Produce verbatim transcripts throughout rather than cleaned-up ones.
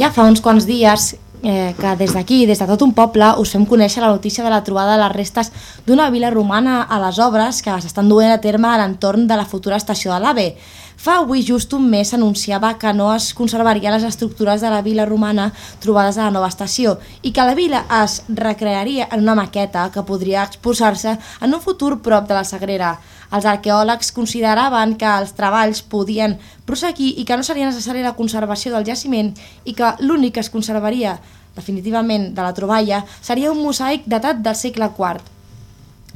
Ja fa uns quants dies eh, que des d'aquí, des de tot un poble, us fem conèixer la notícia de la trobada de les restes d'una vila romana a les obres que s'estan duent a terme a l'entorn de la futura estació de l'AVE. Fa avui just un mes s'anunciava que no es conservarien les estructures de la vila romana trobades a la nova estació i que la vila es recrearia en una maqueta que podria exposar-se en un futur prop de la Sagrera. Els arqueòlegs consideraven que els treballs podien prosseguir i que no seria necessària la conservació del jaciment i que l'únic que es conservaria definitivament de la troballa seria un mosaic datat del segle quart.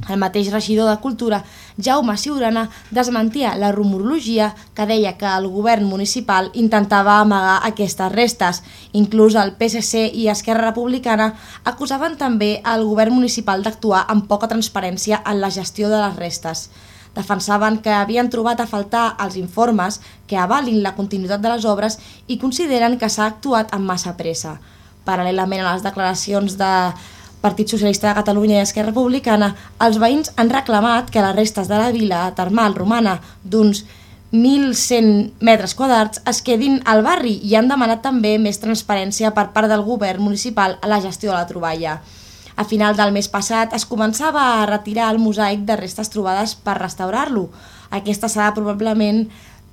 El mateix regidor de Cultura, Jaume Ciurana, desmentia la rumorologia que deia que el govern municipal intentava amagar aquestes restes. Inclús el P S C i Esquerra Republicana acusaven també al govern municipal d'actuar amb poca transparència en la gestió de les restes. Defensaven que havien trobat a faltar els informes que avalin la continuïtat de les obres i consideren que s'ha actuat amb massa pressa. Paral·lelament a les declaracions de Partit Socialista de Catalunya i Esquerra Republicana, els veïns han reclamat que les restes de la vila termal romana d'uns mil cent metres quadrats es quedin al barri i han demanat també més transparència per part del govern municipal a la gestió de la troballa. A final del mes passat es començava a retirar el mosaic de restes trobades per restaurar-lo. Aquesta serà probablement,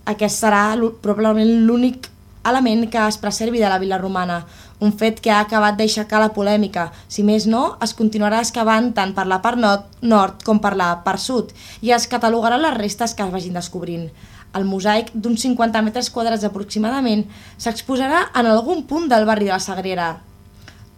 aquest serà probablement l'únic element que es preservi de la vila romana, un fet que ha acabat d'aixecar la polèmica. Si més no, es continuarà excavant tant per la part nord, nord com per la part sud i es catalogaran les restes que es vagin descobrint. El mosaic, d'uns cinquanta metres quadrats aproximadament, s'exposarà en algun punt del barri de la Sagrera.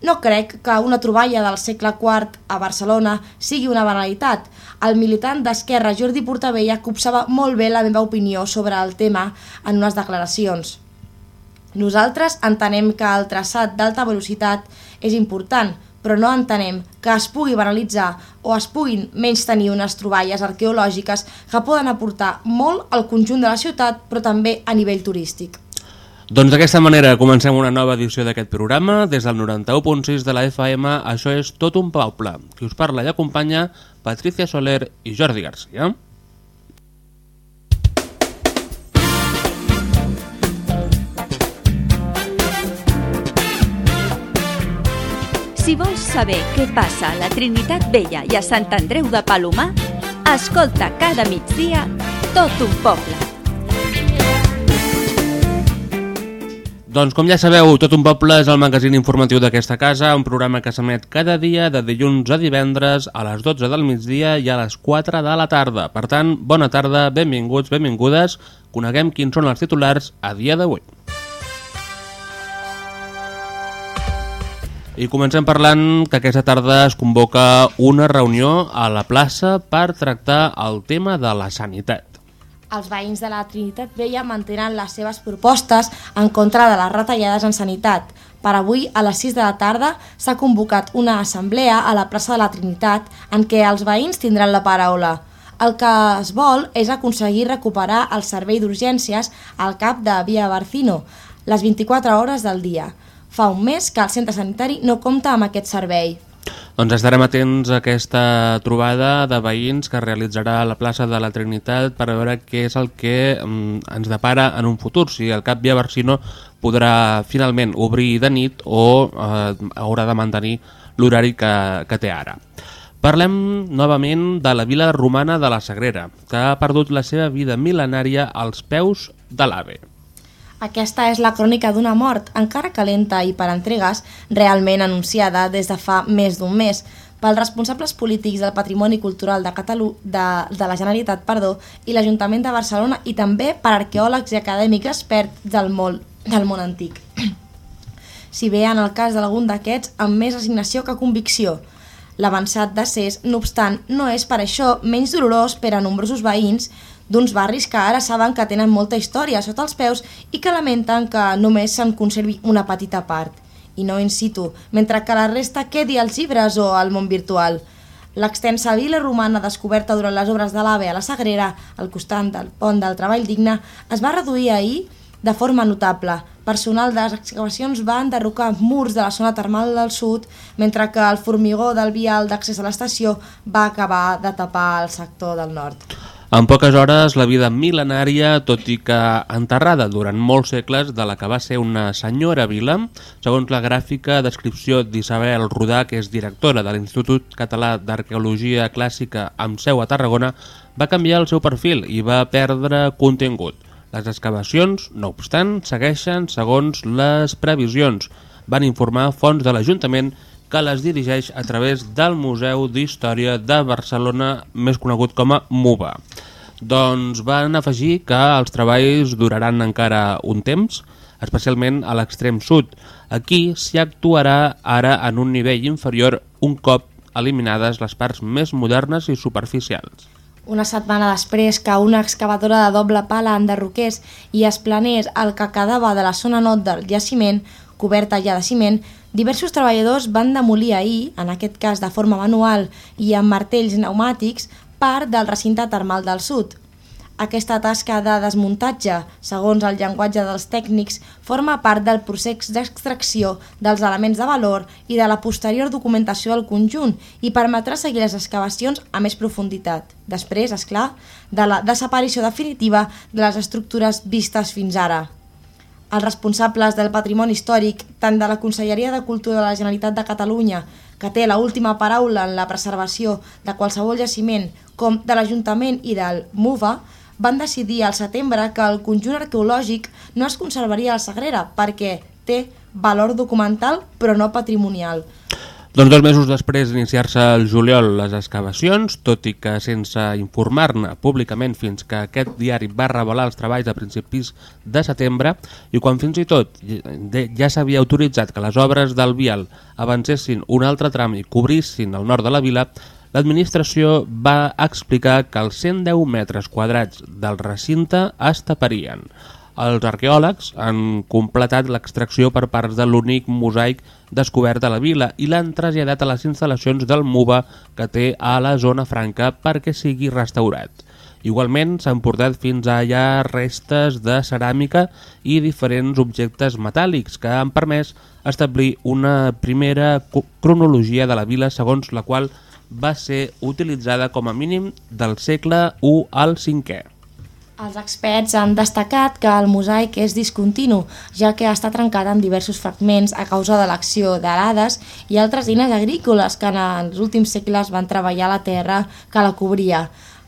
No crec que una troballa del segle quart a Barcelona sigui una banalitat. El militant d'Esquerra Jordi Portabella copsava molt bé la meva opinió sobre el tema en unes declaracions. Nosaltres entenem que el traçat d'alta velocitat és important, però no entenem que es pugui banalitzar o es puguin menystenir unes troballes arqueològiques que poden aportar molt al conjunt de la ciutat, però també a nivell turístic. Doncs d'aquesta manera comencem una nova edició d'aquest programa. Des del noranta-u punt sis de la F M, això és Tot un poble. Qui us parla i acompanya, Patricia Soler i Jordi Garcia. Si vols saber què passa a la Trinitat Vella i a Sant Andreu de Palomar, escolta cada migdia Tot un poble. Doncs com ja sabeu, Tot un poble és el magazín informatiu d'aquesta casa, un programa que s'emet cada dia de dilluns a divendres a les dotze del migdia i a les quatre de la tarda. Per tant, bona tarda, benvinguts, benvingudes, coneguem quins són els titulars a dia d'avui. I comencem parlant que aquesta tarda es convoca una reunió a la plaça per tractar el tema de la sanitat. Els veïns de la Trinitat Vella mantenen les seves propostes en contra de les retallades en sanitat. Per avui, a les sis de la tarda, s'ha convocat una assemblea a la plaça de la Trinitat en què els veïns tindran la paraula. El que es vol és aconseguir recuperar el servei d'urgències al cap de Via Barcino, les vint-i-quatre hores del dia. Fa un mes que el centre sanitari no compta amb aquest servei. Doncs estarem atents a aquesta trobada de veïns que realitzarà a la plaça de la Trinitat per veure què és el que mm, ens depara en un futur, si el cap Via Barcino podrà finalment obrir de nit o eh, haurà de mantenir l'horari que, que té ara. Parlem novament de la vila romana de la Sagrera, que ha perdut la seva vida mil·lenària als peus de l'AVE. Aquesta és la crònica d'una mort, encara calenta i per entregues, realment anunciada des de fa més d'un mes, pels responsables polítics del Patrimoni Cultural de, Catalu de, de la Generalitat perdó, i l'Ajuntament de Barcelona i també per arqueòlegs i acadèmics experts del món, del món antic. Si bé en el cas d'algun d'aquests amb més resignació que convicció. L'avançat decés, no obstant, no és per això menys dolorós per a nombrosos veïns d'uns barris que ara saben que tenen molta història sota els peus i que lamenten que només se'n conservi una petita part, i no in situ, mentre que la resta quedi als llibres o al món virtual. L'extensa vila romana descoberta durant les obres de l'AVE a la Sagrera, al costat del pont del Treball Digne, es va reduir ahir de forma notable. Personal de les excavacions va enderrocar murs de la zona termal del sud, mentre que el formigó del vial d'accés a l'estació va acabar de tapar el sector del nord. En poques hores, la vida mil·lenària, tot i que enterrada durant molts segles, de la que va ser una senyora vila, segons la gràfica descripció d'Isabel Rodà, que és directora de l'Institut Català d'Arqueologia Clàssica amb seu a Tarragona, va canviar el seu perfil i va perdre contingut. Les excavacions, no obstant, segueixen segons les previsions, van informar fonts de l'Ajuntament que les dirigeix a través del Museu d'Història de Barcelona, més conegut com a MUBA. Doncs van afegir que els treballs duraran encara un temps, especialment a l'extrem sud. Aquí s'hi actuarà ara en un nivell inferior un cop eliminades les parts més modernes i superficials. Una setmana després que una excavadora de doble pala enderroqués i esplanés el que quedava de la zona nord del jaciment, coberta ja de ciment, diversos treballadors van demolir ahir, en aquest cas de forma manual i amb martells pneumàtics, part del recinte termal del sud. Aquesta tasca de desmuntatge, segons el llenguatge dels tècnics, forma part del procés d'extracció dels elements de valor i de la posterior documentació del conjunt i permetrà seguir les excavacions a més profunditat. Després, és clar, de la desaparició definitiva de les estructures vistes fins ara. Els responsables del patrimoni històric, tant de la Conselleria de Cultura de la Generalitat de Catalunya, que té l'última paraula en la preservació de qualsevol jaciment, com de l'Ajuntament i del MUVA, van decidir al setembre que el conjunt arqueològic no es conservaria a la Sagrera perquè té valor documental però no patrimonial. Doncs dos mesos després d'iniciar-se el juliol les excavacions, tot i que sense informar-ne públicament fins que aquest diari va revelar els treballs a principis de setembre, i quan fins i tot ja s'havia autoritzat que les obres del vial avancessin un altre tram i cobrissin el nord de la vila, l'administració va explicar que els cent deu metres quadrats del recinte es taparien. Els arqueòlegs han completat l'extracció per parts de l'únic mosaic descobert a la vila i l'han traslladat a les instal·lacions del MUVA que té a la zona franca perquè sigui restaurat. Igualment s'han portat fins allà restes de ceràmica i diferents objectes metàl·lics que han permès establir una primera cronologia de la vila segons la qual va ser utilitzada com a mínim del segle u al cinquè. Els experts han destacat que el mosaic és discontinu, ja que està trencat en diversos fragments a causa de l'acció d'arades i altres eines agrícoles que en els últims segles van treballar la terra que la cobria.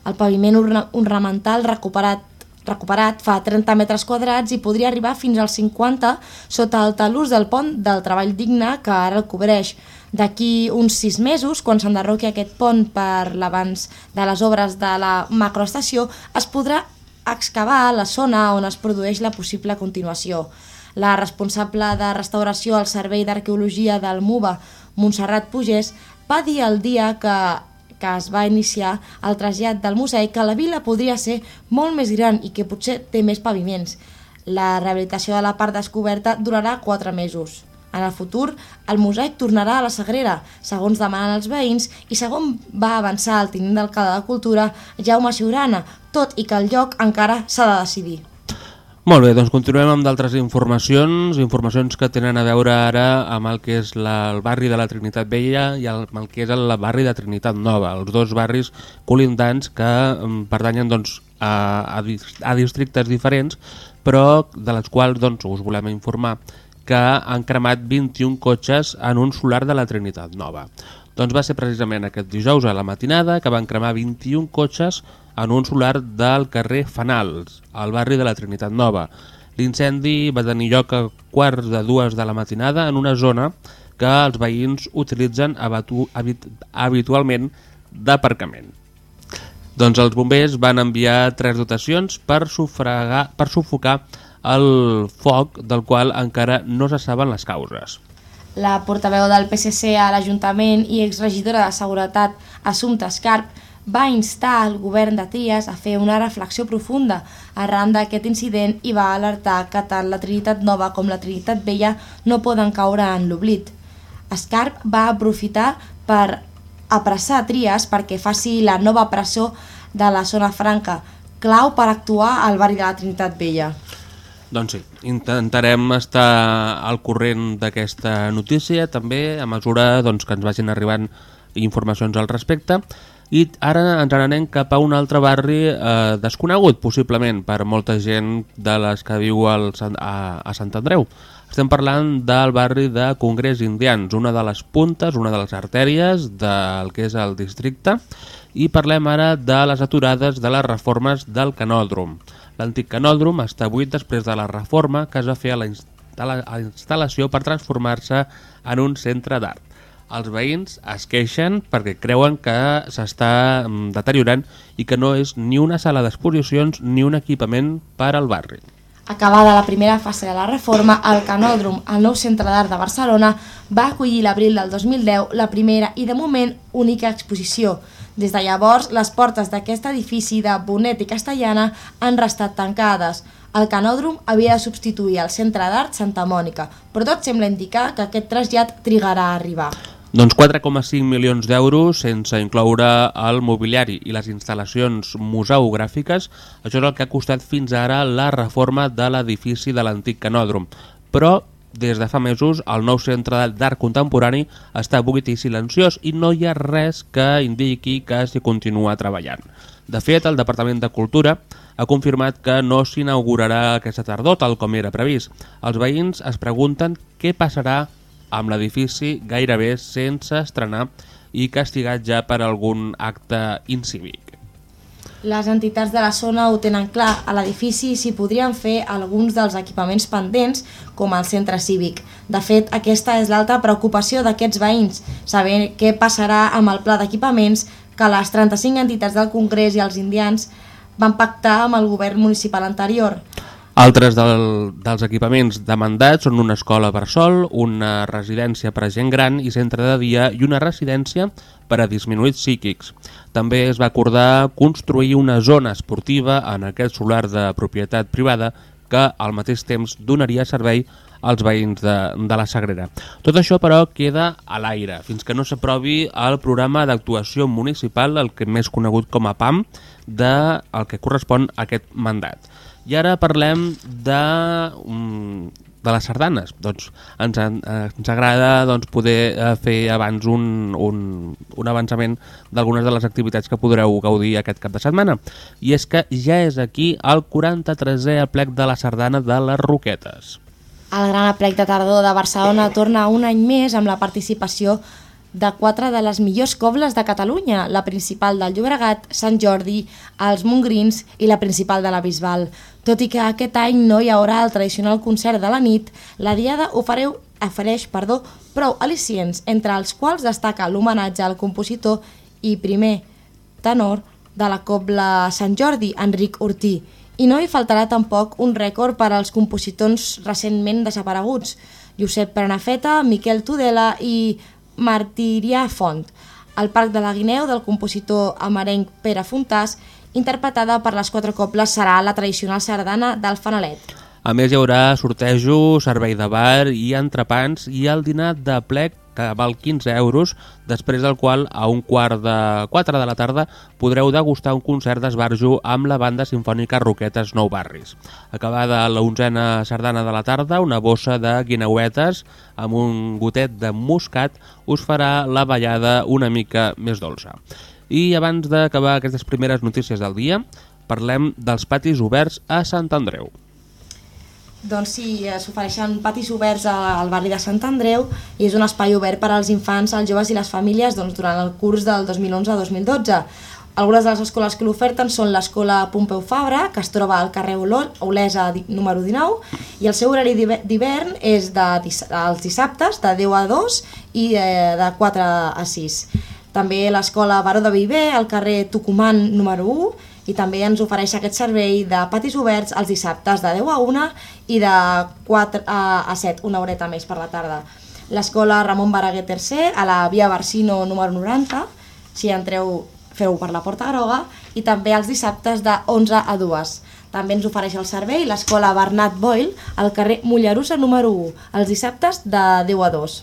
El paviment ornamental recuperat, recuperat fa trenta metres quadrats i podria arribar fins als cinquanta sota el talús del pont del treball digne que ara el cobreix. D'aquí uns sis mesos, quan s'enderroqui aquest pont per l'abans de les obres de la macroestació, es podrà excavar la zona on es produeix la possible continuació. La responsable de restauració al Servei d'Arqueologia del MUVA, Montserrat Pugès, va dir el dia que, que es va iniciar el trasllat del mosaic que la vila podria ser molt més gran i que potser té més paviments. La rehabilitació de la part descoberta durarà quatre mesos. En el futur, el mosaic tornarà a la Sagrera, segons demanen els veïns i segons va avançar el tinent d'alcalde de Cultura, Jaume Siurana, tot i que el lloc encara s'ha de decidir. Molt bé, doncs continuem amb d'altres informacions, informacions que tenen a veure ara amb el que és la, el barri de la Trinitat Vella i el, el que és el barri de Trinitat Nova, els dos barris colindants que um, pertanyen doncs, a, a, a districtes diferents, però de les quals doncs, us volem informar que han cremat vint-i-un cotxes en un solar de la Trinitat Nova. Doncs va ser precisament aquest dijous a la matinada que van cremar vint-i-un cotxes en un solar del carrer Fanals, al barri de la Trinitat Nova. L'incendi va tenir lloc a quarts de dues de la matinada en una zona que els veïns utilitzen habatu, habit, habitualment d'aparcament. Doncs els bombers van enviar tres dotacions per, sufragar, per sufocar el foc del qual encara no se saben les causes. La portaveu del P S C a l'Ajuntament i exregidora de Seguretat, Assumpta Escarp, va instar el govern de Tries a fer una reflexió profunda arran d'aquest incident i va alertar que tant la Trinitat Nova com la Trinitat Vella no poden caure en l'oblit. Escarp va aprofitar per apressar Tries perquè faci la nova presó de la zona franca, clau per actuar al barri de la Trinitat Vella. Doncs sí, intentarem estar al corrent d'aquesta notícia també a mesura doncs, que ens vagin arribant informacions al respecte. I ara ens n'anem cap a un altre barri eh, desconegut, possiblement, per molta gent de les que viu al, a, a Sant Andreu. Estem parlant del barri de Congrés Indians, una de les puntes, una de les artèries del que és el districte, i parlem ara de les aturades de les reformes del canòdrom. L'antic canòdrom està buit després de la reforma que es va fer a la, instal·la a la instal·lació per transformar-se en un centre d'art. Els veïns es queixen perquè creuen que s'està deteriorant i que no és ni una sala d'exposicions ni un equipament per al barri. Acabada la primera fase de la reforma, el Canòdrom, el nou centre d'art de Barcelona, va acollir l'abril del dos mil deu la primera i de moment única exposició. Des de llavors, les portes d'aquest edifici de Bonet i Castellana han restat tancades. El Canòdrom havia de substituir el centre d'art Santa Mònica, però tot sembla indicar que aquest trasllat trigarà a arribar. Doncs quatre coma cinc milions d'euros sense incloure el mobiliari i les instal·lacions museogràfiques. Això és el que ha costat fins ara la reforma de l'edifici de l'antic Canòdrom. Però des de fa mesos el nou centre d'art contemporani està buit i silenciós i no hi ha res que indiqui que s'hi continua treballant. De fet, el Departament de Cultura ha confirmat que no s'inaugurarà aquesta tardor tal com era previst. Els veïns es pregunten què passarà amb l'edifici gairebé sense estrenar i castigat ja per algun acte incívic. Les entitats de la zona ho tenen clar, a l'edifici s'hi podrien fer alguns dels equipaments pendents com el centre cívic. De fet, aquesta és l'alta preocupació d'aquests veïns, saber què passarà amb el pla d'equipaments que les trenta-cinc entitats del Congrés i els indians van pactar amb el govern municipal anterior. Altres del, dels equipaments demandats són una escola per sol, una residència per a gent gran i centre de dia i una residència per a disminuïts psíquics. També es va acordar construir una zona esportiva en aquest solar de propietat privada que al mateix temps donaria servei als veïns de, de la Sagrera. Tot això, però, queda a l'aire, fins que no s'aprovi el programa d'actuació municipal, el que més conegut com a P A M, de, el que correspon a aquest mandat. I ara parlem de, de les sardanes. Doncs ens, ens agrada doncs, poder fer abans un, un, un avançament d'algunes de les activitats que podreu gaudir aquest cap de setmana. I és que ja és aquí el quaranta-tresè aplec de la sardana de les Roquetes. El Gran Aplec de Tardor de Barcelona torna un any més amb la participació de quatre de les millors cobles de Catalunya, la principal del Llobregat, Sant Jordi, els Montgrins i la principal de la Bisbal. Tot i que aquest any no hi haurà el tradicional concert de la nit, la Diada ofereu, ofereix perdó, prou al·licients, entre els quals destaca l'homenatge al compositor i primer tenor de la cobla Sant Jordi, Enric Ortí. I no hi faltarà tampoc un rècord per als compositors recentment desapareguts, Josep Prenafeta, Miquel Tudela i Martirià Font. El Parc de la Guineu del compositor amarenc Pere Fontàs, interpretada per les quatre cobles, serà la tradicional sardana del Fanalet. A més, hi haurà sortejo, servei de bar i entrepans i el dinar de plec que val quinze euros, després del qual a un quart de quatre de la tarda podreu degustar un concert d'esbarjo amb la banda sinfònica Roquetes Nou Barris. Acabada la onzena sardana de la tarda, una bossa de guineuetes amb un gotet de moscat us farà la ballada una mica més dolça. I abans d'acabar aquestes primeres notícies del dia, parlem dels patis oberts a Sant Andreu. Doncs sí, s'ofereixen patis oberts al barri de Sant Andreu i és un espai obert per als infants, els joves i les famílies doncs, durant el curs del dos mil onze a dos mil dotze. Algunes de les escoles que l'oferten són l'escola Pompeu Fabra, que es troba al carrer Olesa número dinou, i el seu horari d'hivern és de, els dissabtes de deu a dos i de quatre a sis. També l'escola Baró de Viver, al carrer Tucumán número u, i també ens ofereix aquest servei de patis oberts els dissabtes de deu a una i de quatre a set, una horeta més per la tarda. L'escola Ramon Baraguer tercer, a la via Barsino número noranta, si entreu feu per la Porta Groga, i també els dissabtes de onze a dues. També ens ofereix el servei l'escola Bernat Boyle, al carrer Mollerussa número u, els dissabtes de deu a dos.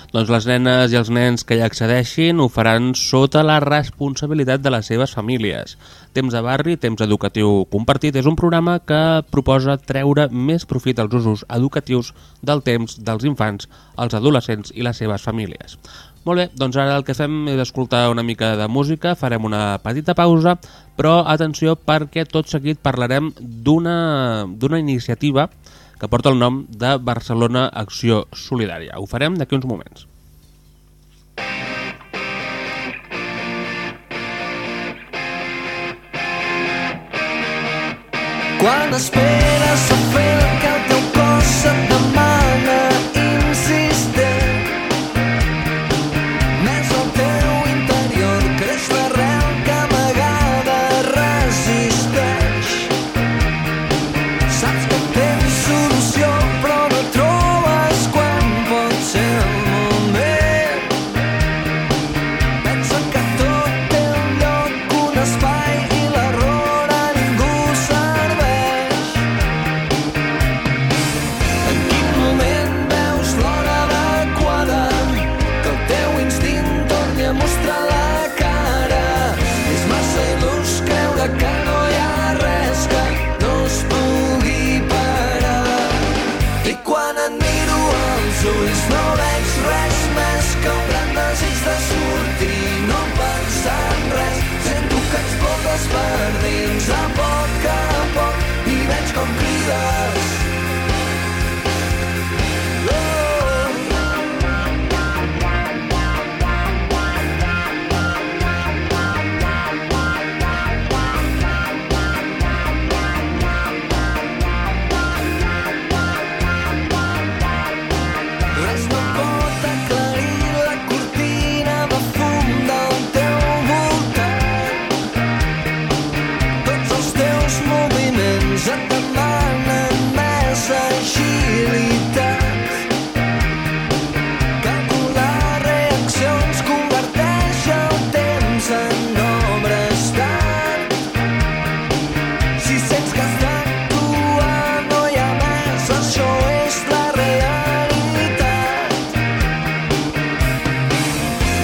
Doncs les nenes i els nens que hi accedeixin ho faran sota la responsabilitat de les seves famílies. Temps de barri, temps educatiu compartit és un programa que proposa treure més profit als usos educatius del temps dels infants, els adolescents i les seves famílies. Molt bé, doncs ara el que fem és escoltar una mica de música, farem una petita pausa, però atenció perquè tot seguit parlarem d'una d'una iniciativa que porta el nom de Barcelona Acció Solidària. Ho farem d'aquí uns moments. Quan esperes o fer que el teu cos et demana insistent, més al teu interior creix l'arrel que amagada resisteix. Saps que tens solució però no trobes quan pot ser el moment. Pensa que tot té un lloc, un espai i l'error a ningú serveix. En quin moment veus l'hora adequada que el teu instint torni a mostrar la cara? És massa il·lús creure que no hi ha res que no es pugui parar. I quan et miro als ulls no veig res més que un gran desig de sortir, no pensar en res. Sento que explotes per dins a poc a poc i veig com crides. Res no pot aclarir la cortina de fum del teu voltant. Tots els teus moviments et demanen més agilitat. Calcular reaccions converteix el temps en obres d'art. Si sents que has d'actuar no hi ha més, això és la realitat.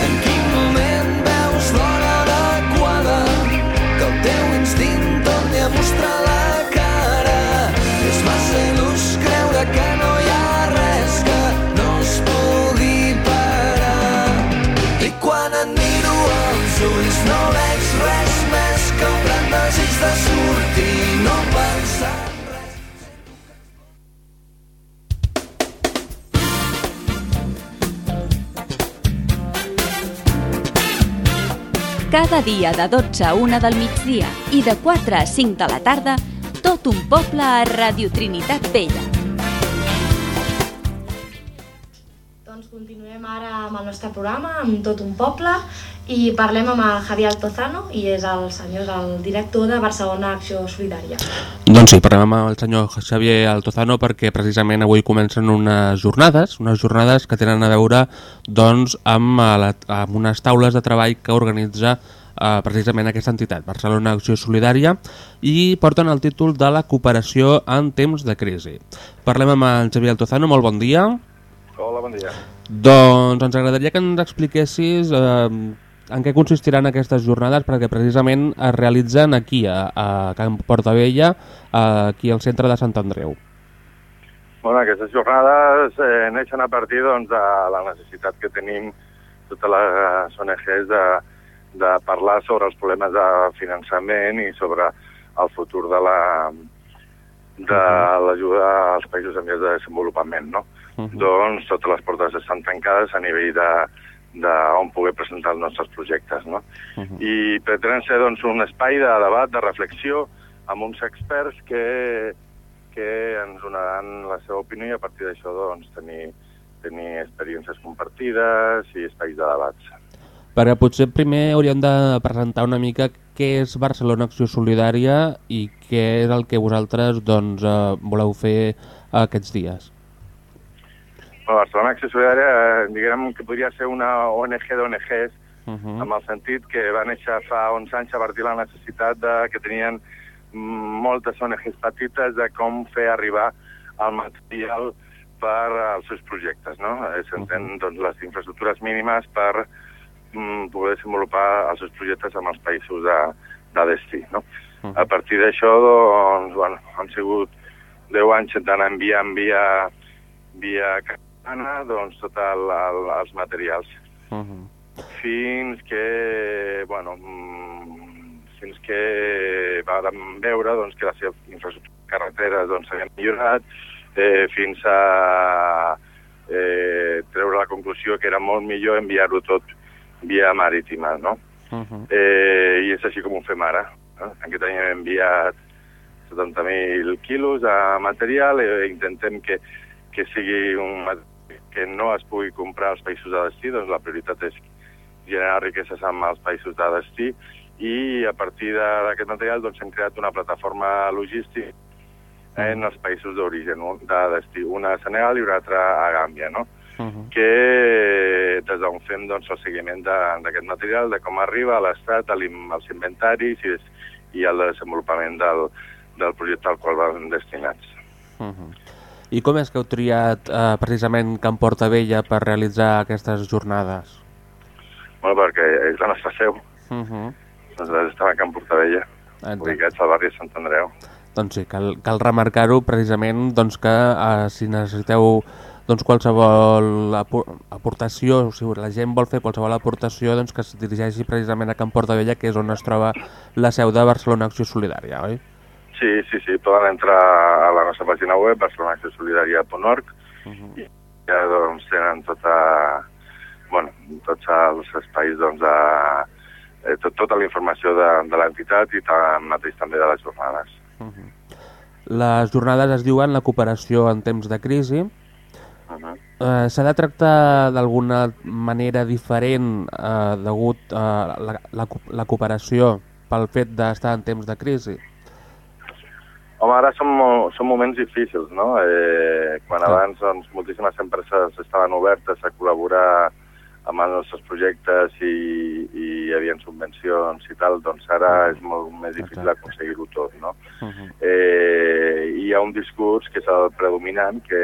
En quin moment veus l'hora adequada que el teu instint torni a mostrar la cara? És massa il·lús creure que no hi ha res que no es pugui parar. I quan et miro als ulls no veig res més que un gran desig de sortir, no pensar en res. Cada dia de dotze a una del migdia i de quatre a cinc de la tarda, tot un poble a Radio Trinitat Vella. Doncs continuem ara amb el nostre programa, amb tot un poble, i parlem amb el Javier Altozano, i és el senyor, el director de Barcelona Acció Solidària. Doncs sí, parlem amb el senyor Xavier Altozano perquè precisament avui comencen unes jornades, unes jornades que tenen a veure doncs, amb, la, amb unes taules de treball que organitza eh, precisament aquesta entitat, Barcelona Acció Solidària, i porten el títol de la cooperació en temps de crisi. Parlem amb el Xavier Altozano, molt bon dia. Hola, bon dia. Doncs ens agradaria que ens expliquessis eh, en què consistiran aquestes jornades, perquè precisament es realitzen aquí, a, a Can Portabella, aquí al centre de Sant Andreu. Bueno, aquestes jornades eh, neixen a partir doncs, de la necessitat que tenim totes les O N Ges de, de parlar sobre els problemes de finançament i sobre el futur de la de l'ajuda als països en vies de desenvolupament, no? Uh -huh. Doncs totes les portes estan tancades a nivell de d'on poder presentar els nostres projectes, no? Uh -huh. I pretenen ser doncs, un espai de debat, de reflexió, amb uns experts que, que ens donaran la seva opinió i a partir d'això doncs, tenir, tenir experiències compartides i espais de debats. Perquè potser primer hauríem de presentar una mica què és Barcelona Acció Solidària i què és el que vosaltres doncs, eh, voleu fer aquests dies. Barcelona Acció Solidària, diguem que podria ser una O N G d'O N Ges, uh -huh. amb el sentit que va néixer fa onze anys a partir de la necessitat de, que tenien moltes O N Ges petites de com fer arribar el material per als seus projectes, no? S'entén uh -huh. doncs, les infraestructures mínimes per mm, poder desenvolupar els seus projectes amb els països de, de destí, no? Uh -huh. A partir d'això, doncs, bueno, han sigut deu anys d'anar enviant via, via Ana, doncs, tots el, el, els materials. Uh-huh. Fins que, bueno, fins que vam veure doncs, que la seva infraestructura de carreteres doncs, s'havia millorat, eh, fins a eh, treure la conclusió que era molt millor enviar-ho tot via marítima, no? Uh-huh. Eh, I és així com ho fem ara. No? Aquest any hem enviat setanta mil quilos de material i eh, intentem que, que sigui un que no es pugui comprar als països de destí, doncs la prioritat és generar riqueses amb els països de destí i a partir d'aquest material doncs, hem creat una plataforma logística en els països d'origen, de destí, una a Senegal i una altra a Gàmbia, no? Uh-huh. Que des d'on fem doncs, el seguiment d'aquest material, de com arriba a l'estat, als inventaris i, i al desenvolupament del, del projecte al qual van destinats. Uh-huh. I com és que heu triat eh, precisament Can Portabella per realitzar aquestes jornades? Bueno, perquè és la nostra seu. Uh-huh. Nosaltres estem a Can Portabella, ubicats al barri de Sant Andreu. Doncs sí, cal, cal remarcar-ho precisament doncs, que eh, si necessiteu doncs, qualsevol aportació, o sigui, la gent vol fer qualsevol aportació, doncs, que es dirigeixi precisament a Can Portabella, que és on es troba la seu de Barcelona Acció Solidària, oi? Sí, sí, sí, poden entrar a la nostra pàgina web, barcelona acció solidària punt org, uh-huh. i ja doncs, tenen tota, bueno, tots els espais doncs, de, eh, tot, tota la informació de, de l'entitat i tam, mateix també de les jornades. Uh-huh. Les jornades es diuen la cooperació en temps de crisi. Uh-huh. Eh, S'ha de tractar d'alguna manera diferent eh, degut a la, la, la cooperació pel fet d'estar en temps de crisi? Home, ara són, són moments difícils, no? Eh, quan abans doncs, moltíssimes empreses estaven obertes a col·laborar amb els nostres projectes i, i hi havia subvencions i tal, doncs ara és molt més difícil aconseguir-ho tot, no? Uh-huh. eh, hi ha un discurs que és el predominant, que,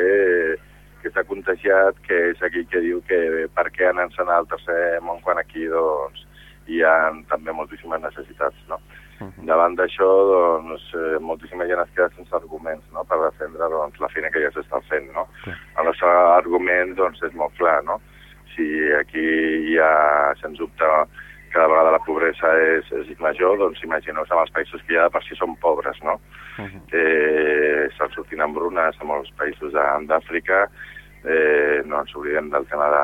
que s'ha contagiat, que és aquell que diu que per què anar al tercer món quan aquí doncs, hi ha també moltíssimes necessitats, no? Uh-huh. Davant d'això, doncs, eh, moltíssima gent es queda sense arguments, no?, per defendre doncs, la feina que ja s'està fent, no? Uh-huh. El nostre argument doncs, és molt clar, no? Si aquí hi ha, sens dubte, cada vegada la pobresa és, és major, doncs imagineu-vos amb els països que ja de per si són pobres, no? Uh-huh. Eh, estan sortint hambrunes a molts països d'Àfrica, eh, no ens oblidem del tema de,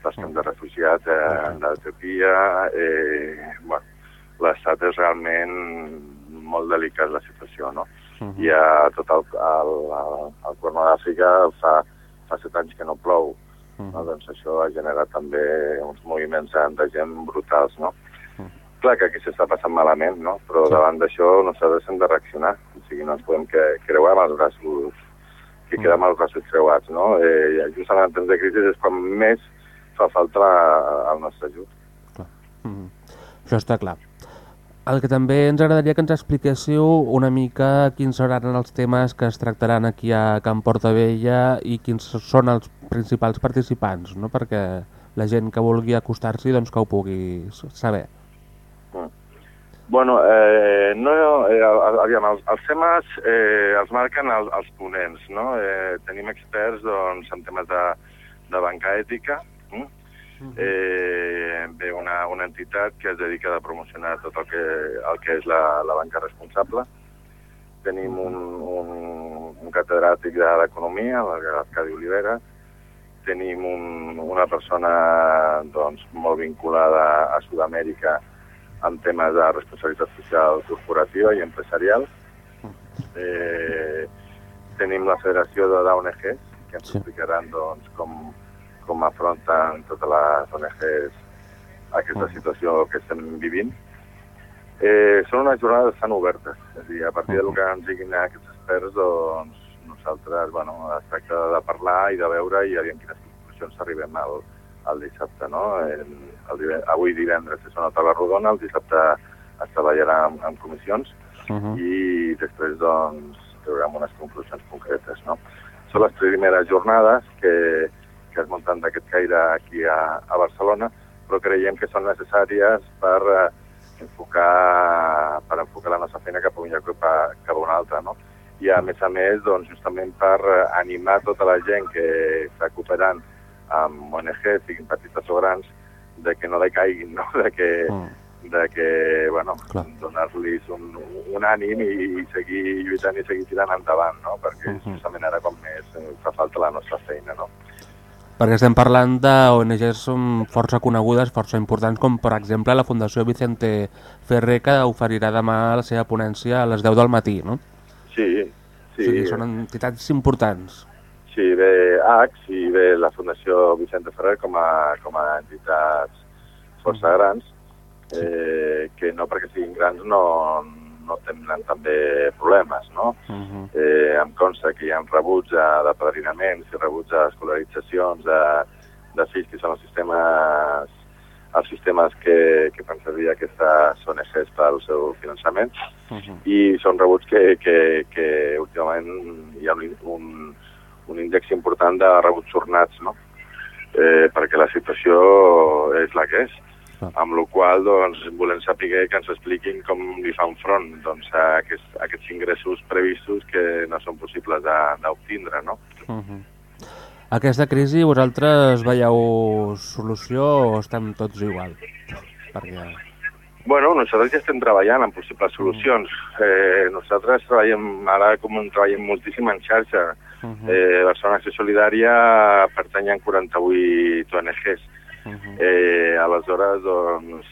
dels camps de refugiats eh, d'Etiòpia, eh, bueno, l'estat és realment molt delicat la situació, no? Uh-huh. I a tot el, el, el, el Corn d'Àfrica fa, fa set anys que no plou, uh-huh. no? Doncs això ha generat també uns moviments de gent brutals, no? Uh-huh. Clar que aquí s'està passant malament, no? Però sí. Davant d'això nosaltres hem de reaccionar, o sigui, no ens podem que, creuar amb els braços, que uh-huh. quedem amb els braços creuats, no? Eh, just en el temps de crisi és quan més fa falta el nostre ajut. Clar. Uh-huh. Això està clar. El que també ens agradaria que ens expliquéssiu una mica quins seran els temes que es tractaran aquí a Can Portabella i quins són els principals participants, no? Perquè la gent que vulgui acostar-s'hi doncs, que ho pugui saber. Mm. Bueno, eh, no, eh, aviam, els, els temes eh, els marquen els, els ponents, no? Eh, tenim experts doncs, en temes de, de banca ètica, mm? Eh, ve una, una entitat que es dedica a promocionar tot el que, el que és la, la banca responsable. Tenim un, un, un catedràtic d'economia, l'Arcadi Olivera. Tenim un, una persona doncs, molt vinculada a Sud-amèrica en temes de responsabilitat social corporativa i empresarial. Eh, tenim la Federació d'O N Gs, que ens explicaran doncs, com com afronten totes les O N Gs aquesta situació que estem vivint. Eh, són unes jornades tan obertes, és a dir, a partir del que ens diguin aquests experts, doncs nosaltres, bueno, es tracta de parlar i de veure i aviam quines conclusions arribem al, al dissabte, no? El, el divendres, avui divendres és una taula rodona, el dissabte es treballarà en, en comissions uh-huh. i després, doncs, traurem unes conclusions concretes, no? Són les primeres jornades que que es munten d'aquest caire aquí a, a Barcelona, però creiem que són necessàries per eh, enfocar per enfocar la nostra feina cap a un lloc cap a, cap a un altre, no? I a més a més, doncs, justament per animar tota la gent que està cooperant amb O N Gs, siguin petites o grans, de que no decaiguin, no? De que, mm. de que bueno, donar-los un, un ànim i seguir lluitant i seguir tirant endavant, no? Perquè uh -huh. justament ara com més fa falta la nostra feina, no? Perquè estem parlant d'O N Ges força conegudes, força importants, com per exemple la Fundació Vicente Ferrer, que oferirà demà la seva ponència a les deu del matí, no? Sí, sí. O sigui, són entitats importants. Sí, ve A X i ve la Fundació Vicente Ferrer com a, com a entitats força grans, eh, que no perquè siguin grans no, no tenen també problemes, no? Uh-huh. eh, em consta que hi ha rebuts d'apadrinaments i rebuts d'escolaritzacions de, de fills que són els sistemes, els sistemes que, que fan servir aquestes O N Ges pel seu finançament, uh-huh. i són rebuts que, que, que últimament hi ha un, un, un índex important de rebuts sornats, no? Eh, perquè la situació és la que és. Amb la qual doncs, volem saber que ens expliquin com li fan front doncs, a, aquests, a aquests ingressos previstos que no són possibles d'obtindre, no? Uh-huh. Aquesta crisi, vosaltres veieu solució o estem tots igual? Perquè... Bueno, nosaltres ja estem treballant en possibles solucions. Eh, nosaltres treballem, ara com treballem moltíssim en xarxa. Uh-huh. eh, Barcelona Acció Solidària pertany a quaranta-vuit O N Ges. Uh-huh. eh, aleshores doncs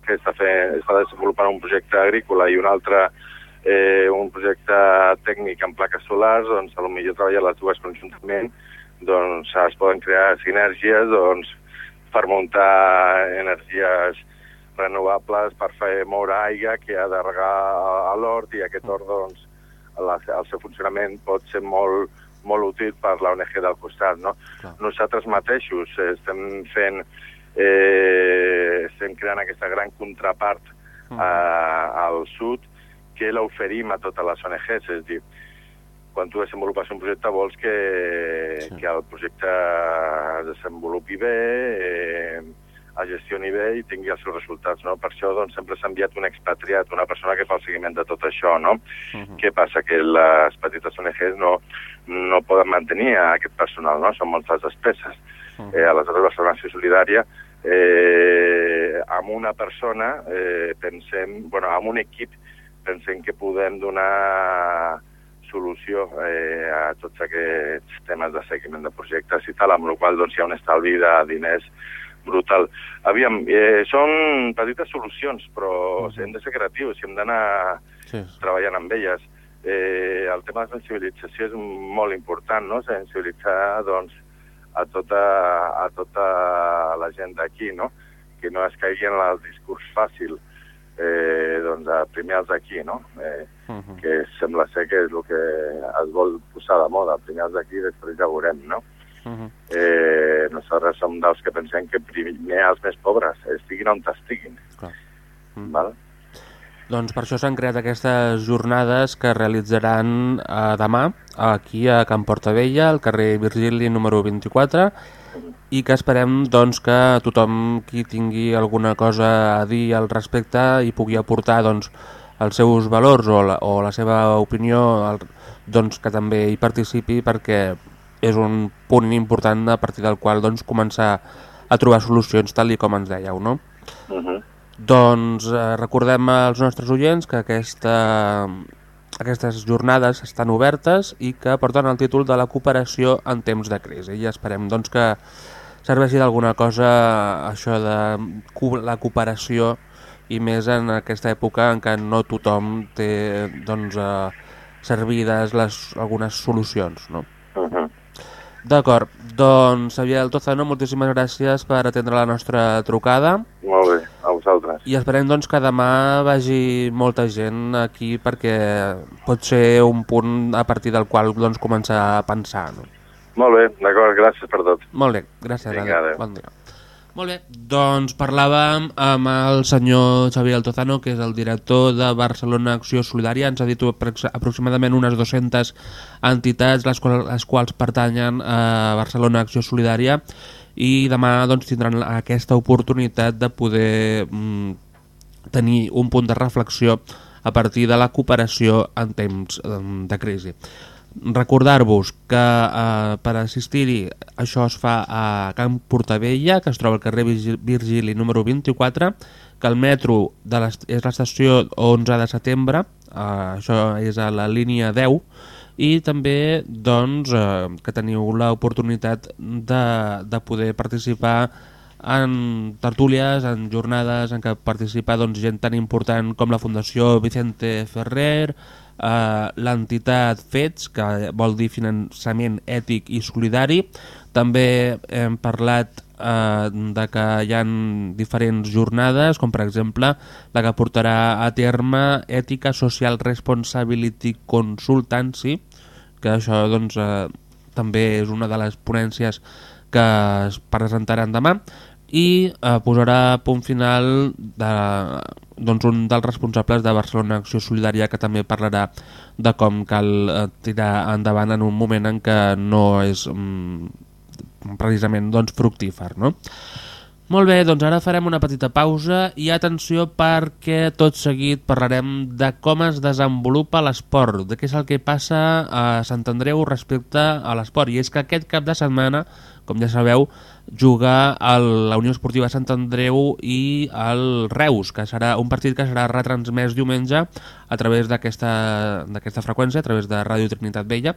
que està, fent, està desenvolupant un projecte agrícola i un altre eh, un projecte tècnic en plaques solars, doncs potser treballar les dues conjuntament, doncs es poden crear sinergies doncs, per muntar energies renovables, per fer moure aigua que ha de regar a l'hort, i aquest hort doncs, la, el seu funcionament pot ser molt molt útil per l'O N G del costat, no? Clar. Nosaltres mateixos estem fent, eh, estem creant aquesta gran contrapart uh-huh. a, al sud que l'oferim a totes les O N Ges, és a dir, quan tu desenvolupes un projecte vols que, sí. que el projecte es desenvolupi bé, eh, es gestioni bé i tingui els seus resultats, no? Per això doncs, sempre s'ha enviat un expatriat, una persona que fa el seguiment de tot això, no? Uh-huh. Què passa? Que les petites O N Ges no, no poden mantenir aquest personal, no? Són moltes despeses. Uh-huh. Eh, aleshores, la Barcelona Solidària, eh, amb una persona, eh, pensem, bueno, amb un equip, pensem que podem donar solució eh, a tots aquests temes de seguiment de projectes i tal, amb la qual doncs, hi ha un estalvi de diners brutal. Aviam, eh, són petites solucions, però uh-huh. hem de ser creatius i hem d'anar sí. treballant amb elles. Eh, el tema de sensibilització és molt important, no? Sensibilitzar doncs, a, tota, a tota la gent d'aquí, no? Que no es caigui en el discurs fàcil, eh, doncs, a primer els d'aquí, no? Eh, uh-huh. Que sembla ser que és el que es vol posar de moda, primer els d'aquí, després ja veurem, no? Uh-huh. eh, nosaltres som dels que pensem que primer els més pobres estiguin on estiguin. Clar. Mm. Val? Doncs per això s'han creat aquestes jornades que realitzaran eh, demà aquí a Can Portabella, al carrer Virgili número vint-i-quatre, mm. i que esperem doncs, que tothom qui tingui alguna cosa a dir al respecte i pugui aportar doncs, els seus valors o la, o la seva opinió, el, doncs, que també hi participi, perquè és un punt important a partir del qual doncs, començar a trobar solucions tal i com ens dèieu, no? Uh-huh. Doncs eh, recordem als nostres oients que aquesta, aquestes jornades estan obertes i que porten el títol de la cooperació en temps de crisi. I esperem doncs, que serveixi d'alguna cosa això de la cooperació, i més en aquesta època en què no tothom té doncs, eh, servides les, algunes solucions, no? Uh-huh. D'acord, doncs Xavier Altozano, moltíssimes gràcies per atendre la nostra trucada. Molt bé, a vosaltres. I esperem doncs, que demà vagi molta gent aquí, perquè pot ser un punt a partir del qual doncs, començar a pensar. No? Molt bé, d'acord, gràcies per tot. Molt bé, gràcies. Vinga, adéu. Bon dia. Molt bé, doncs parlàvem amb el senyor Xavier Altozano, que és el director de Barcelona Acció Solidària. Ens ha dit aproximadament unes dues-centes entitats, les quals, les quals pertanyen a Barcelona Acció Solidària, i demà doncs, tindran aquesta oportunitat de poder mm, tenir un punt de reflexió a partir de la cooperació en temps de crisi. Recordar-vos que eh, per assistir-hi això es fa a Camp Portavella, que es troba al carrer Virgili número vint-i-quatre, que el metro de és l'estació onze de setembre, eh, això és a la línia deu, i també doncs, eh, que teniu l'oportunitat de, de poder participar en tertúlies, en jornades en què participa doncs, gent tan important com la Fundació Vicente Ferrer, eh, l'entitat FETS, que vol dir Finançament Ètic i Solidari. També hem parlat eh, de que hi ha diferents jornades, com per exemple la que portarà a terme Ètica Social Responsibility Consultancy, que això doncs, eh, també és una de les ponències que es presentaran demà, i eh, posarà punt final de, doncs, un dels responsables de Barcelona Acció Solidària, que també parlarà de com cal eh, tirar endavant en un moment en què no és mm, precisament doncs, fructífer, no? Molt bé, doncs ara farem una petita pausa i atenció, perquè tot seguit parlarem de com es desenvolupa l'esport, de què és el que passa a Sant Andreu respecte a l'esport. I és que aquest cap de setmana, com ja sabeu, juga a la Unió Esportiva Sant Andreu i el Reus, que serà un partit que serà retransmès diumenge a través d'aquesta d'aquesta freqüència, a través de Ràdio Trinitat Vella,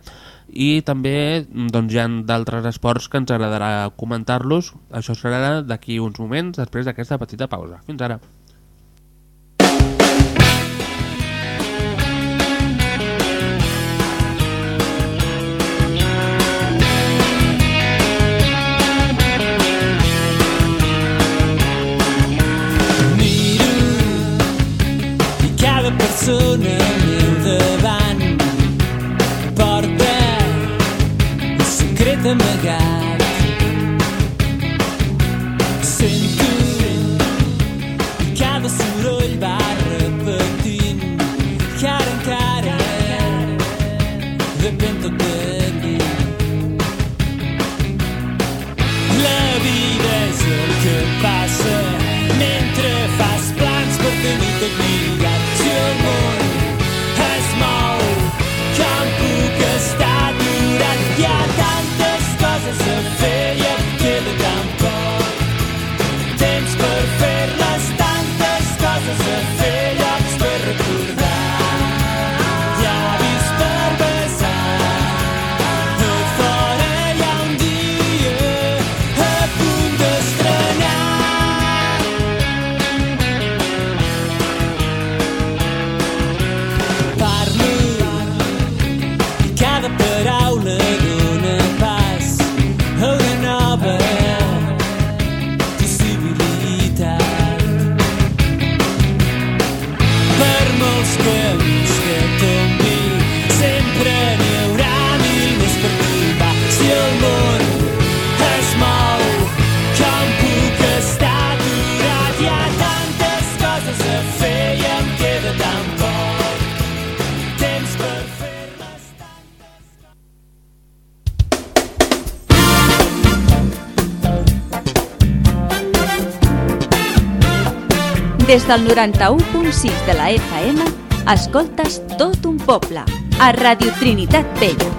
i també doncs, hi ha d'altres esports que ens agradarà comentar-los. Això serà d'aquí uns moments, després d'aquesta petita pausa. Fins ara. Persona al meu davant porta un secret amagat. Sento i cada soroll va repetint que ara encara depèn tot de mi. La vida és el que passa mentre fas plans per tenir tot lligat. Si el món es mou, com puc estar aturat? Hi ha tantes coses a fer i em queda tan poc temps per fer-les, tantes coses a fer, llocs per recordar, llavis per besar. A fora hi ha un dia a punt d'estrenar. Paraula dona pas a una nova possibilitat. Per molts camins que tombi sempre n'hi haurà mil més per trobar. Si el món es mou, com puc estar aturat? Hi ha tantes coses a fer i em queda tan poc temps per fer. Des del noranta-u punt sis de la F M, escoltes Tot un poble, a Ràdio Trinitat Vella.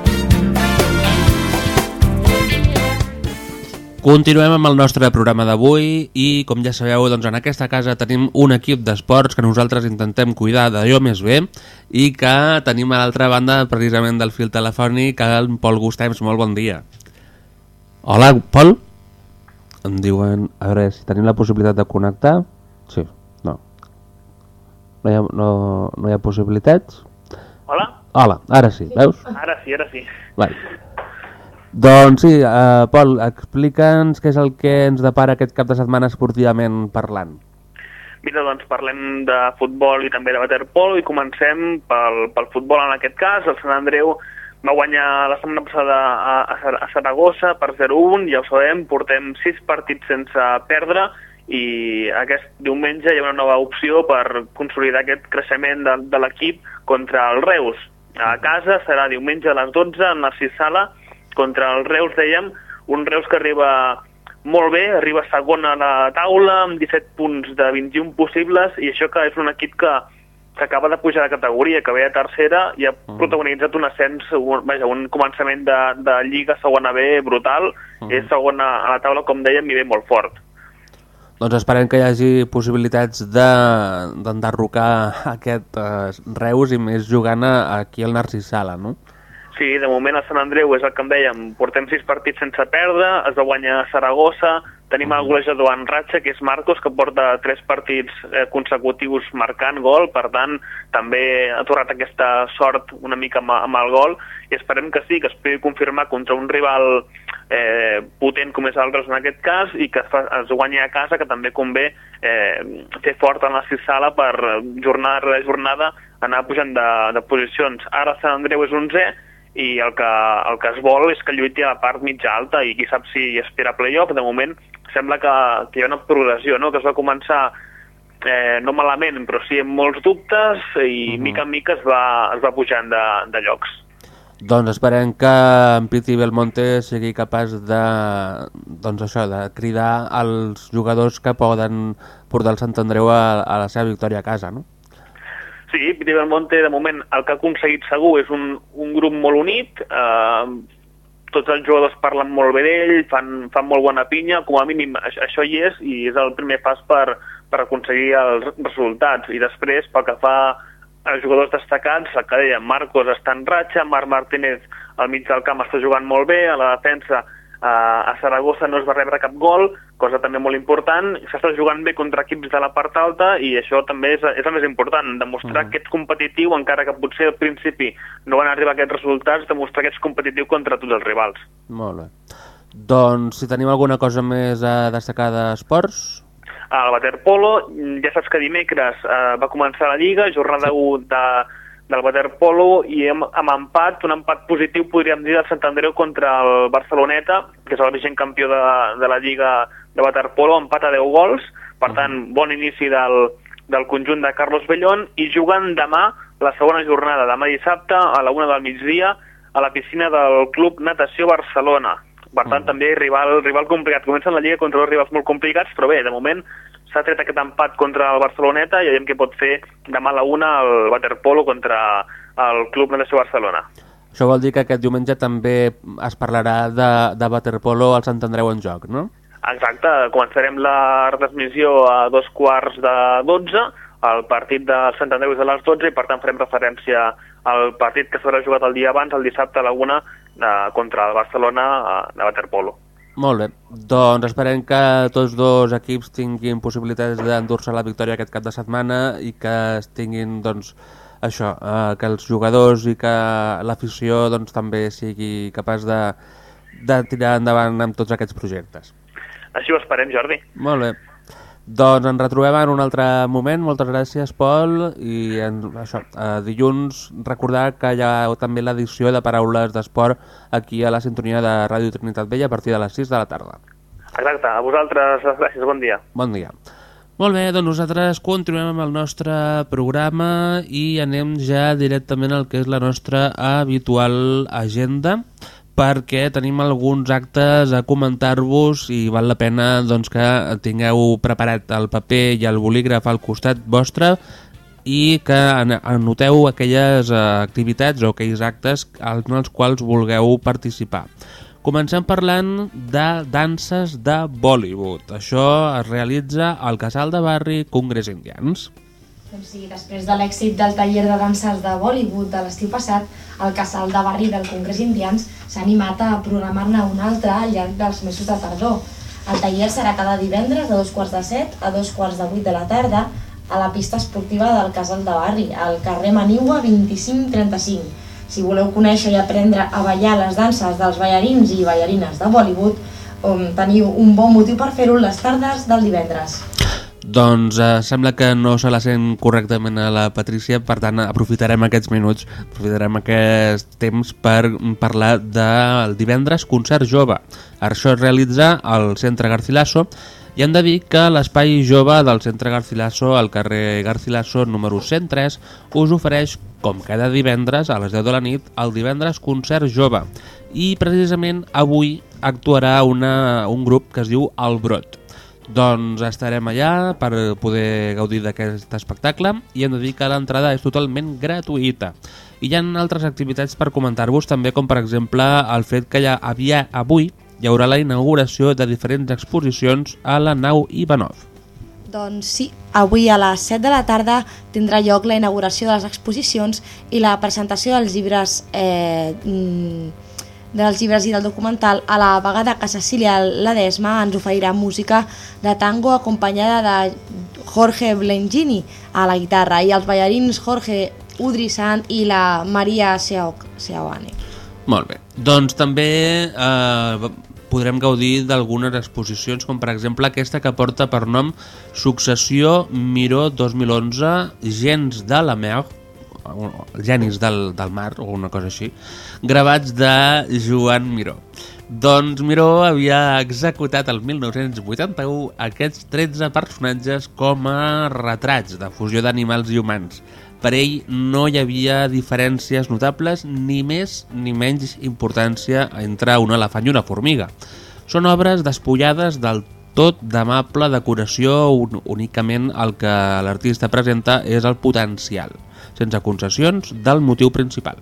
Continuem amb el nostre programa d'avui i, com ja sabeu, doncs en aquesta casa tenim un equip d'esports que nosaltres intentem cuidar d'allò més bé i que tenim a l'altra banda, precisament del fil telefònic, el Pol Gustems. Molt bon dia. Hola, Pol? Em diuen... A veure si tenim la possibilitat de connectar. Sí. No. No hi ha, no, no hi ha possibilitats? Hola? Hola, ara sí, veus? Ara sí, ara sí. Vale. Doncs sí, uh, Pol, explica'ns què és el que ens depara aquest cap de setmana esportivament parlant. Mira, doncs parlem de futbol i també de waterpolo i comencem pel, pel futbol en aquest cas. El Sant Andreu va guanyar la setmana passada a, a Saragossa per zero a un, ja ho sabem, portem sis partits sense perdre, i aquest diumenge hi ha una nova opció per consolidar aquest creixement de, de l'equip contra el Reus. A casa serà diumenge a les dotze en Narcís Sala contra el Reus, dèiem, un Reus que arriba molt bé, arriba segon a la taula amb disset punts de vint-i-un possibles, i això que és un equip que que acaba de pujar de categoria, que ve a tercera i ha uh-huh. protagonitzat un ascens, un, vaja, un començament de, de Lliga segona B brutal, uh-huh. és segona a la taula, com dèiem, i ve molt fort. Doncs esperem que hi hagi possibilitats d'enderrocar de, aquest eh, Reus i més jugant aquí al Narcís Sala, no? Sí, de moment el Sant Andreu és el que em dèiem, portem sis partits sense perdre, es va guanyar a Saragossa, tenim el golejador en ratxa, que és Marcos, que porta tres partits eh, consecutius marcant gol, per tant, també ha tornat aquesta sort una mica amb, amb el gol, i esperem que sí, que es pugui confirmar contra un rival eh, potent com és el Reus en aquest cas, i que es, fa, es guanyi a casa, que també convé eh, fer fort en la Sala per jornada rere jornada anar pujant de, de posicions. Ara Sant Andreu és onzè, i el que, el que es vol és que lluiti a la part mitja alta, i qui sap si espera playoff. De moment sembla que, que hi ha una progressió, no? Que es va començar eh, no malament, però sí amb molts dubtes, i uh-huh. mica en mica es va, es va pujant de, de llocs. Doncs esperem que en Piti Belmonte sigui capaç de, doncs això, de cridar als jugadors que poden portar el Sant Andreu a, a la seva victòria a casa, no? Sí, Piti Belmonte, de moment, el que ha aconseguit segur és un, un grup molt unit, eh, tots els jugadors parlen molt bé d'ell, fan, fan molt bona pinya, com a mínim això hi és, i és el primer pas per, per aconseguir els resultats. I després, pel que fa als jugadors destacats, el que deia, Marcos està en ratxa, Marc Martínez al mig del camp està jugant molt bé, a la defensa a Saragossa no es va rebre cap gol, cosa també molt important, s'està jugant bé contra equips de la part alta, i això també és, és el més important, demostrar mm. que ets competitiu, encara que potser al principi no van arribar aquests resultats, demostrar que ets competitiu contra tots els rivals. Molt bé. Doncs si tenim alguna cosa més a destacar d'esports? El waterpolo, ja saps que dimecres eh, va començar la Lliga, jornada sí. u de... del waterpolo, i amb, amb empat, un empat positiu podríem dir del Sant Andreu contra el Barceloneta, que és el vigent campió de, de la Lliga de waterpolo, empat a deu gols, per tant, bon inici del, del conjunt de Carlos Bellón, i jugant demà la segona jornada, demà dissabte a la una del migdia, a la piscina del Club Natació Barcelona. Per tant, mm. també rival, rival complicat. Comencen la Lliga contra dos rivals molt complicats, però bé, de moment s'ha tret aquest empat contra el Barceloneta i veiem què pot fer demà a la una el waterpolo contra el Club Natació Barcelona. Això vol dir que aquest diumenge també es parlarà de, de waterpolo al Sant Andreu en joc, no? Exacte, començarem la retransmissió a dos quarts de dotze, el partit del Sant Andreu és a les dotze, i per tant farem referència al partit que s'haurà jugat el dia abans, el dissabte a la una, eh, contra el Barcelona de waterpolo. Molt bé, doncs esperem que tots dos equips tinguin possibilitats d'endur-se la victòria aquest cap de setmana i que tinguin, doncs, això, eh, que els jugadors i que l'afició doncs, també sigui capaç de, de tirar endavant amb tots aquests projectes. Així ho esperem, Jordi. Molt bé. Doncs ens retrobem en un altre moment. Moltes gràcies, Pol. I en, això, eh, dilluns recordar que hi ha també l'edició de Paraules d'Esport aquí a la sintonia de Ràdio Trinitat Vella a partir de les sis de la tarda. Exacte. A vosaltres, gràcies. Bon dia. Bon dia. Molt bé, doncs nosaltres continuem amb el nostre programa i anem ja directament al que és la nostra habitual agenda, perquè tenim alguns actes a comentar-vos i val la pena doncs, que tingueu preparat el paper i el bolígraf al costat vostre i que anoteu aquelles activitats o aquells actes en els quals vulgueu participar. Comencem parlant de danses de Bollywood. Això es realitza al Casal de Barri Congrés Indians. Doncs sí, després de l'èxit del taller de danses de Bollywood de l'estiu passat, el Casal de Barri del Congrés Indians s'ha animat a programar-ne un altre al llarg dels mesos de tardor. El taller serà cada divendres a dos quarts de set a dos quarts de vuit de la tarda a la pista esportiva del Casal de Barri, al carrer Manigua vint-i-cinc trenta-cinc. Si voleu conèixer i aprendre a ballar les danses dels ballarins i ballarines de Bollywood, teniu un bon motiu per fer-ho les tardes del divendres. Doncs eh, sembla que no se la sent correctament a la Patrícia, per tant aprofitarem aquests minuts, aprofitarem aquest temps per parlar del divendres concert jove. Això es realitza al Centre Garcilaso i hem de dir que l'espai jove del Centre Garcilaso al carrer Garcilaso número cent tres us ofereix, com cada divendres a les deu de la nit, el divendres concert jove, i precisament avui actuarà una, un grup que es diu El Brot. Doncs estarem allà per poder gaudir d'aquest espectacle i hem de dir que l'entrada és totalment gratuïta. I hi ha altres activitats per comentar-vos també, com per exemple el fet que ja havia avui hi haurà la inauguració de diferents exposicions a la nau Ivanov. Doncs sí, avui a les set de la tarda tindrà lloc la inauguració de les exposicions i la presentació dels llibres, eh, dels llibres i del documental. A la vegada que Cecília Ledesma ens oferirà música de tango acompanyada de Jorge Blengini a la guitarra i els ballarins Jorge Udrisan i la Maria Seoane. Molt bé, doncs també eh, podrem gaudir d'algunes exposicions, com per exemple aquesta que porta per nom Successió Miró dos mil onze, Gens de la Mer, Genis del, del mar o una cosa així, gravats de Joan Miró. Doncs Miró havia executat el mil nou-cents vuitanta-u aquests tretze personatges com a retrats de fusió d'animals i humans. Per ell no hi havia diferències notables ni més ni menys importància entre un elefant i una formiga. Són obres despullades del tot d'amable decoració, únicament el que l'artista presenta és el potencial, sense concessions, del motiu principal.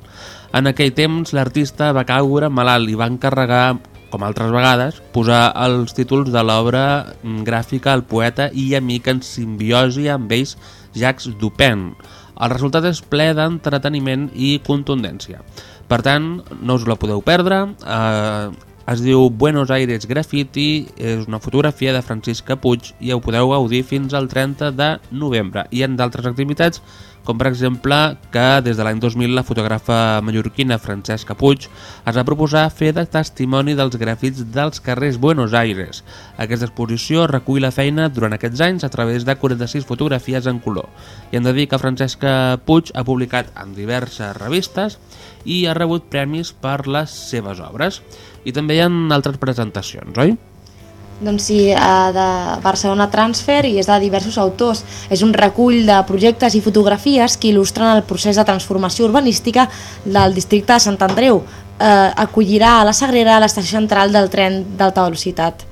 En aquell temps l'artista va caure malalt i va encarregar, com altres vegades, posar els títols de l'obra gràfica al poeta i amic en simbiosi amb ells, Jacques Dupin. El resultat és ple d'entreteniment i contundència. Per tant, no us la podeu perdre. Eh, es diu Buenos Aires Graffiti, és una fotografia de Francisca Puig i ho podeu gaudir fins al trenta de novembre. Hi ha d'altres activitats, com per exemple que des de l'any dos mil la fotògrafa mallorquina Francesca Puig es va proposar fer de testimoni dels grafits dels carrers Buenos Aires. Aquesta exposició recull la feina durant aquests anys a través de quaranta-sis fotografies en color. I hem de dir que Francesca Puig ha publicat en diverses revistes i ha rebut premis per les seves obres. I també hi ha altres presentacions, oi? Doncs sí, de Barcelona Transfer i és de diversos autors. És un recull de projectes i fotografies que il·lustren el procés de transformació urbanística del districte de Sant Andreu. Eh, acollirà a la Sagrera l'estació central del tren d'alta velocitat.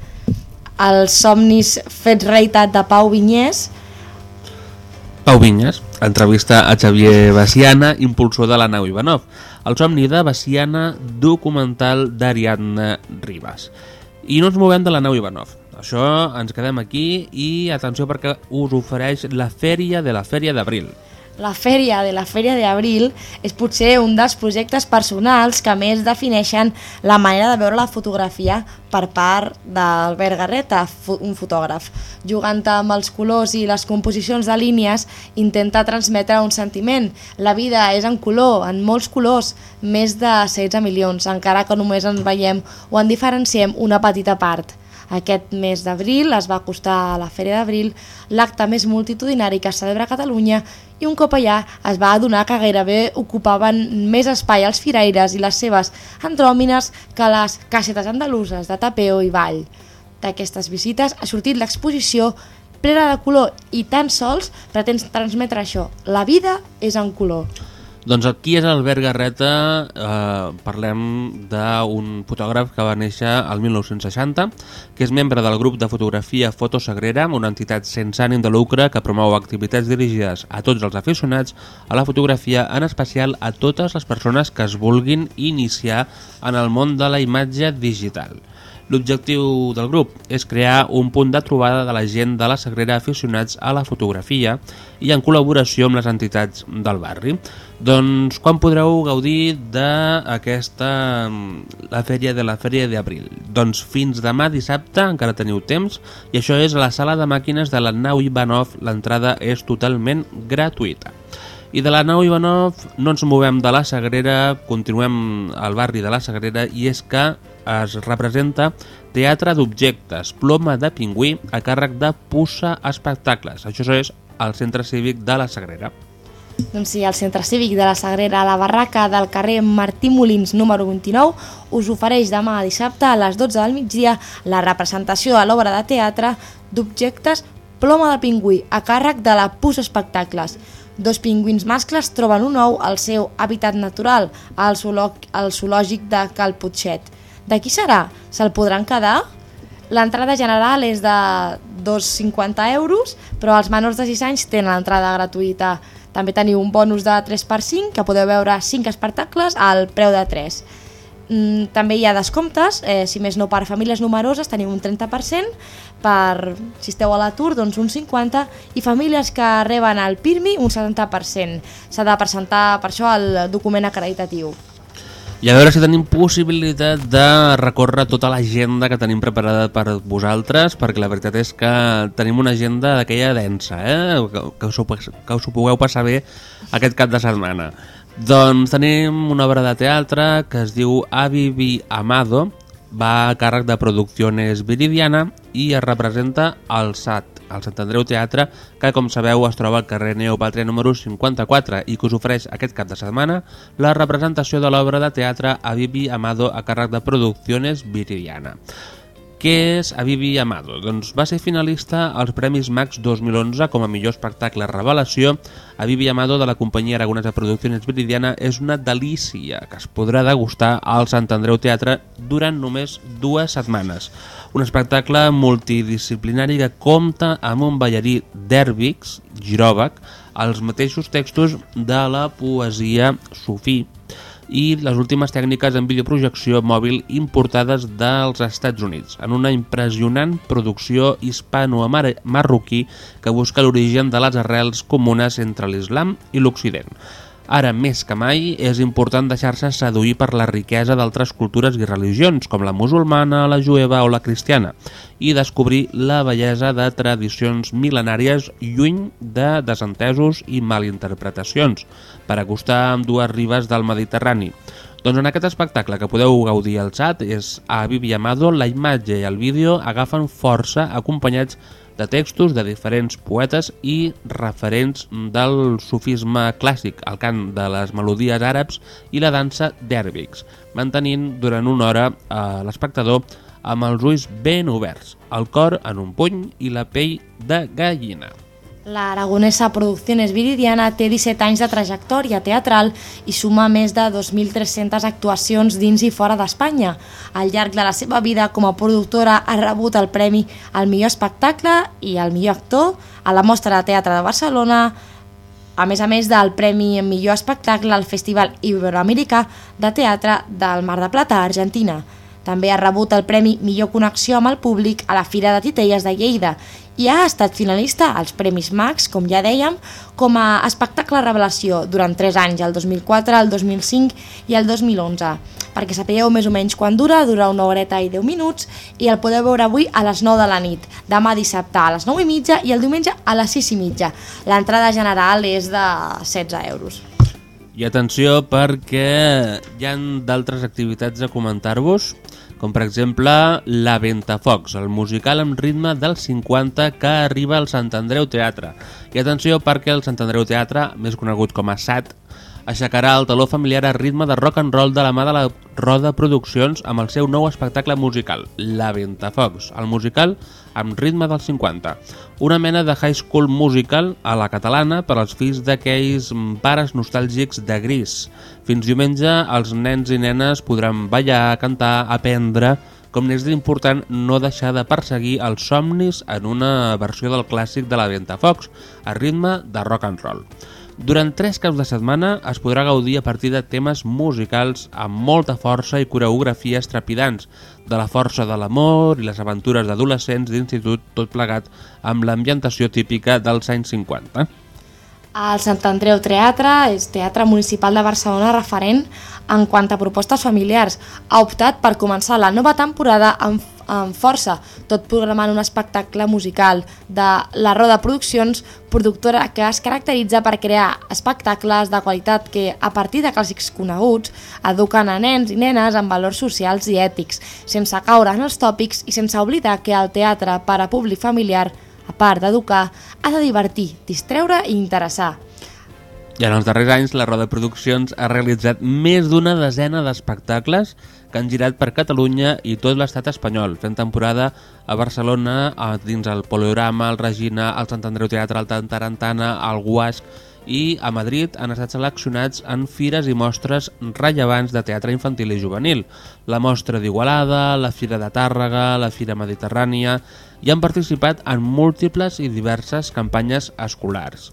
Els somnis fets realitat de Pau Vinyes. Pau Vinyes, entrevista a Xavier Baciana, impulsor de la nau Ivanov. El somni de Baciana, documental d'Ariadna Ribas. I no ens movem de la nau Ivanov. Això ens quedem aquí i atenció perquè us ofereix la Fèria de la Fèria d'Abril. La Fèria de la Fèria d'Abril és potser un dels projectes personals que més defineixen la manera de veure la fotografia per part d'Albert Garreta, un fotògraf. Jugant amb els colors i les composicions de línies, intenta transmetre un sentiment. La vida és en color, en molts colors, més de setze milions, encara que només en veiem o en diferenciem una petita part. Aquest mes d'abril es va acostar a la Fèria d'Abril, l'acte més multitudinari que es celebra a Catalunya, i un cop allà es va adonar que gairebé ocupaven més espai els firaires i les seves andròmines que les casetes andaluses de tapeo i ball. D'aquestes visites ha sortit l'exposició plena de color i tan sols pretén transmetre això. La vida és en color. Doncs aquí és Albert Garreta, eh, parlem d'un fotògraf que va néixer el mil nou-cents seixanta, que és membre del grup de fotografia Fotosagrera, una entitat sense ànim de lucre que promou activitats dirigides a tots els aficionats a la fotografia, en especial a totes les persones que es vulguin iniciar en el món de la imatge digital. L'objectiu del grup és crear un punt de trobada de la gent de la Sagrera aficionats a la fotografia i en col·laboració amb les entitats del barri. Doncs quan podreu gaudir d'aquesta la fèria de la Fèria d'Abril? Doncs fins demà dissabte, encara teniu temps, i això és a la sala de màquines de la nau Ivanov. L'entrada és totalment gratuïta. I de la nau Ivanov no ens movem de la Sagrera, continuem al barri de la Sagrera, i és que es representa Teatre d'Objectes, Ploma de Pingüí, a càrrec de Pussa Espectacles. Això és al Centre Cívic de la Sagrera. Doncs sí, el Centre Cívic de la Sagrera, a la barraca del carrer Martí Molins número vint-i-nou, us ofereix demà dissabte a les dotze del migdia la representació de l'obra de teatre d'Objectes Ploma de Pingüí, a càrrec de la Pussa Espectacles. Dos pingüins mascles troben un ou al seu hàbitat natural, al zoològic de Cal Potxet. De qui serà? Se'l podran quedar? L'entrada general és de dos coma cinquanta euros, però els menors de sis anys tenen l'entrada gratuïta. També teniu un bonus de tres per cinc, que podeu veure cinc espectacles al preu de tres. També hi ha descomptes, eh, si més no per famílies numeroses teniu un trenta per cent, per si esteu a l'atur doncs un cinquanta per cent, i famílies que reben el PIRMI un setanta per cent. S'ha de presentar per això el document acreditatiu. I a veure si tenim possibilitat de recórrer tota l'agenda que tenim preparada per vosaltres, perquè la veritat és que tenim una agenda d'aquella densa, eh? que, que, us ho, que us ho pugueu passar bé aquest cap de setmana. Doncs tenim una obra de teatre que es diu Avivi Amado, va a càrrec de Producciones Viridiana i es representa al S A T, al Sant Andreu Teatre, que com sabeu es troba al carrer Neopàtria número cinquanta-quatre i que us ofereix aquest cap de setmana la representació de l'obra de teatre Avivi Amado a càrrec de Producciones Viridiana. Què és Avivi Amado? Doncs va ser finalista als Premis Max dos mil onze com a millor espectacle revelació. Avivi Amado de la companyia aragonesa Producciones Viridiana és una delícia que es podrà degustar al Sant Andreu Teatre durant només dues setmanes. Un espectacle multidisciplinari que compta amb un ballarí d'Herbix, Girovac, els mateixos textos de la poesia sufí i les últimes tècniques en videoprojecció mòbil importades dels Estats Units, en una impressionant producció hispano-marroquí que busca l'origen de les arrels comunes entre l'islam i l'Occident. Ara, més que mai, és important deixar-se seduir per la riquesa d'altres cultures i religions, com la musulmana, la jueva o la cristiana, i descobrir la bellesa de tradicions mil·lenàries lluny de desentesos i malinterpretacions, per acostar amb dues ribes del Mediterrani. Doncs en aquest espectacle que podeu gaudir al S A T és a Avivi Amado, la imatge i el vídeo agafen força acompanyats de textos de diferents poetes i referents del sufisme clàssic, el cant de les melodies àrabs i la dansa d'Herbix, mantenint durant una hora a l'espectador amb els ulls ben oberts, el cor en un puny i la pell de gallina. La aragonesa Producciones Viridiana té disset anys de trajectòria teatral i suma més de dos mil tres-centes actuacions dins i fora d'Espanya. Al llarg de la seva vida com a productora ha rebut el premi al millor espectacle i al millor actor a la Mostra de Teatre de Barcelona, a més a més del premi millor espectacle al Festival Iberoamericà de Teatre del Mar de Plata, a Argentina. També ha rebut el premi Millor Connexió amb el Públic a la Fira de Titelles de Lleida i ha estat finalista als Premis Max, com ja dèiem, com a espectacle revelació durant tres anys, el dos mil quatre, el dos mil cinc i el dos mil onze. Perquè sapigueu més o menys quan dura, dura una horeta i deu minuts i el podeu veure avui a les nou de la nit, demà dissabte a les nou i mitja i el diumenge a les sis i mitja. L'entrada general és de setze euros. I atenció perquè hi ha d'altres activitats a comentar-vos, com per exemple La Ventafocs, el musical amb ritme dels cinquanta que arriba al Sant Andreu Teatre. I atenció perquè el Sant Andreu Teatre, més conegut com a S A T, aixecarà el taló familiar a ritme de rock and roll de la mà de la Roda Produccions amb el seu nou espectacle musical, La Ventafocs, el musical amb ritme dels cinquanta. Una mena de high school musical a la catalana per als fills d'aquells pares nostàlgics de Gris. Fins diumenge els nens i nenes podran ballar, cantar, aprendre, com n'és d'important no deixar de perseguir els somnis en una versió del clàssic de La Ventafocs, a ritme de rock and roll. Durant tres caps de setmana es podrà gaudir a partir de temes musicals amb molta força i coreografies trepidants, de la força de l'amor i les aventures d'adolescents d'institut, tot plegat amb l'ambientació típica dels anys cinquanta. El Sant Andreu Teatre és teatre municipal de Barcelona referent en quant a propostes familiars. Ha optat per començar la nova temporada amb, amb força, tot programant un espectacle musical de la Roda Produccions, productora que es caracteritza per crear espectacles de qualitat que, a partir de clàssics coneguts, eduquen a nens i nenes en valors socials i ètics, sense caure en els tòpics i sense oblidar que el teatre per a públic familiar, a part d'educar, ha de divertir, distreure i interessar. I en els darrers anys la Roda Produccions ha realitzat més d'una desena d'espectacles que han girat per Catalunya i tot l'estat espanyol, fent temporada a Barcelona, dins el Poliorama, el Regina, el Sant Andreu Teatre, el Tarantana, el Guasc, i a Madrid han estat seleccionats en fires i mostres rellevants de teatre infantil i juvenil. La Mostra d'Igualada, la Fira de Tàrrega, la Fira Mediterrània, i han participat en múltiples i diverses campanyes escolars.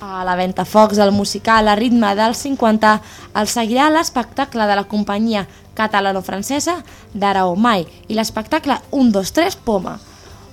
A la Ventafocs, el musical a ritme dels cinquanta, el seguirà l'espectacle de la companyia catalano-francesa d'Ara o Mai i l'espectacle un dos tres Poma.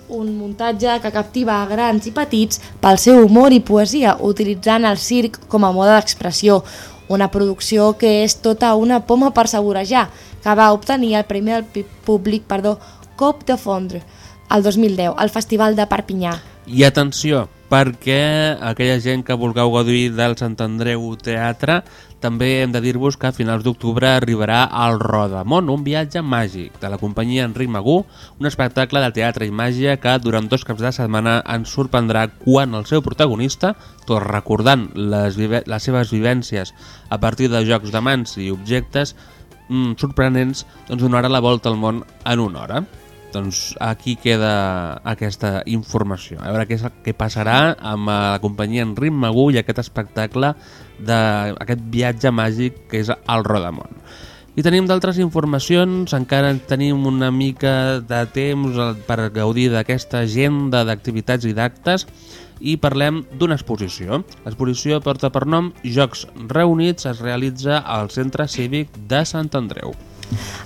Un muntatge que captiva a grans i petits pel seu humor i poesia, utilitzant el circ com a mode d'expressió. Una producció que és tota una poma per saborejar, que va obtenir el Premi del Públic, perdó, Cop de Fondre, el dos mil deu, al Festival de Perpinyà. I atenció, perquè aquella gent que vulgueu gaudir del Sant Andreu Teatre, també hem de dir-vos que a finals d'octubre arribarà al Rodamón, un viatge màgic de la companyia Enric Magú, un espectacle de teatre i màgia que durant dos caps de setmana ens sorprendrà quan el seu protagonista, tot recordant les, les seves vivències a partir de jocs de mans i objectes mm, sorprenents, doncs donarà la volta al món en una hora. Doncs aquí queda aquesta informació. A veure què, què passarà amb la companyia Enric Magú i aquest espectacle d'aquest viatge màgic que és el Rodamón. I tenim d'altres informacions, encara tenim una mica de temps per gaudir d'aquesta agenda d'activitats i d'actes i parlem d'una exposició. L'exposició porta per nom Jocs Reunits, es realitza al Centre Cívic de Sant Andreu.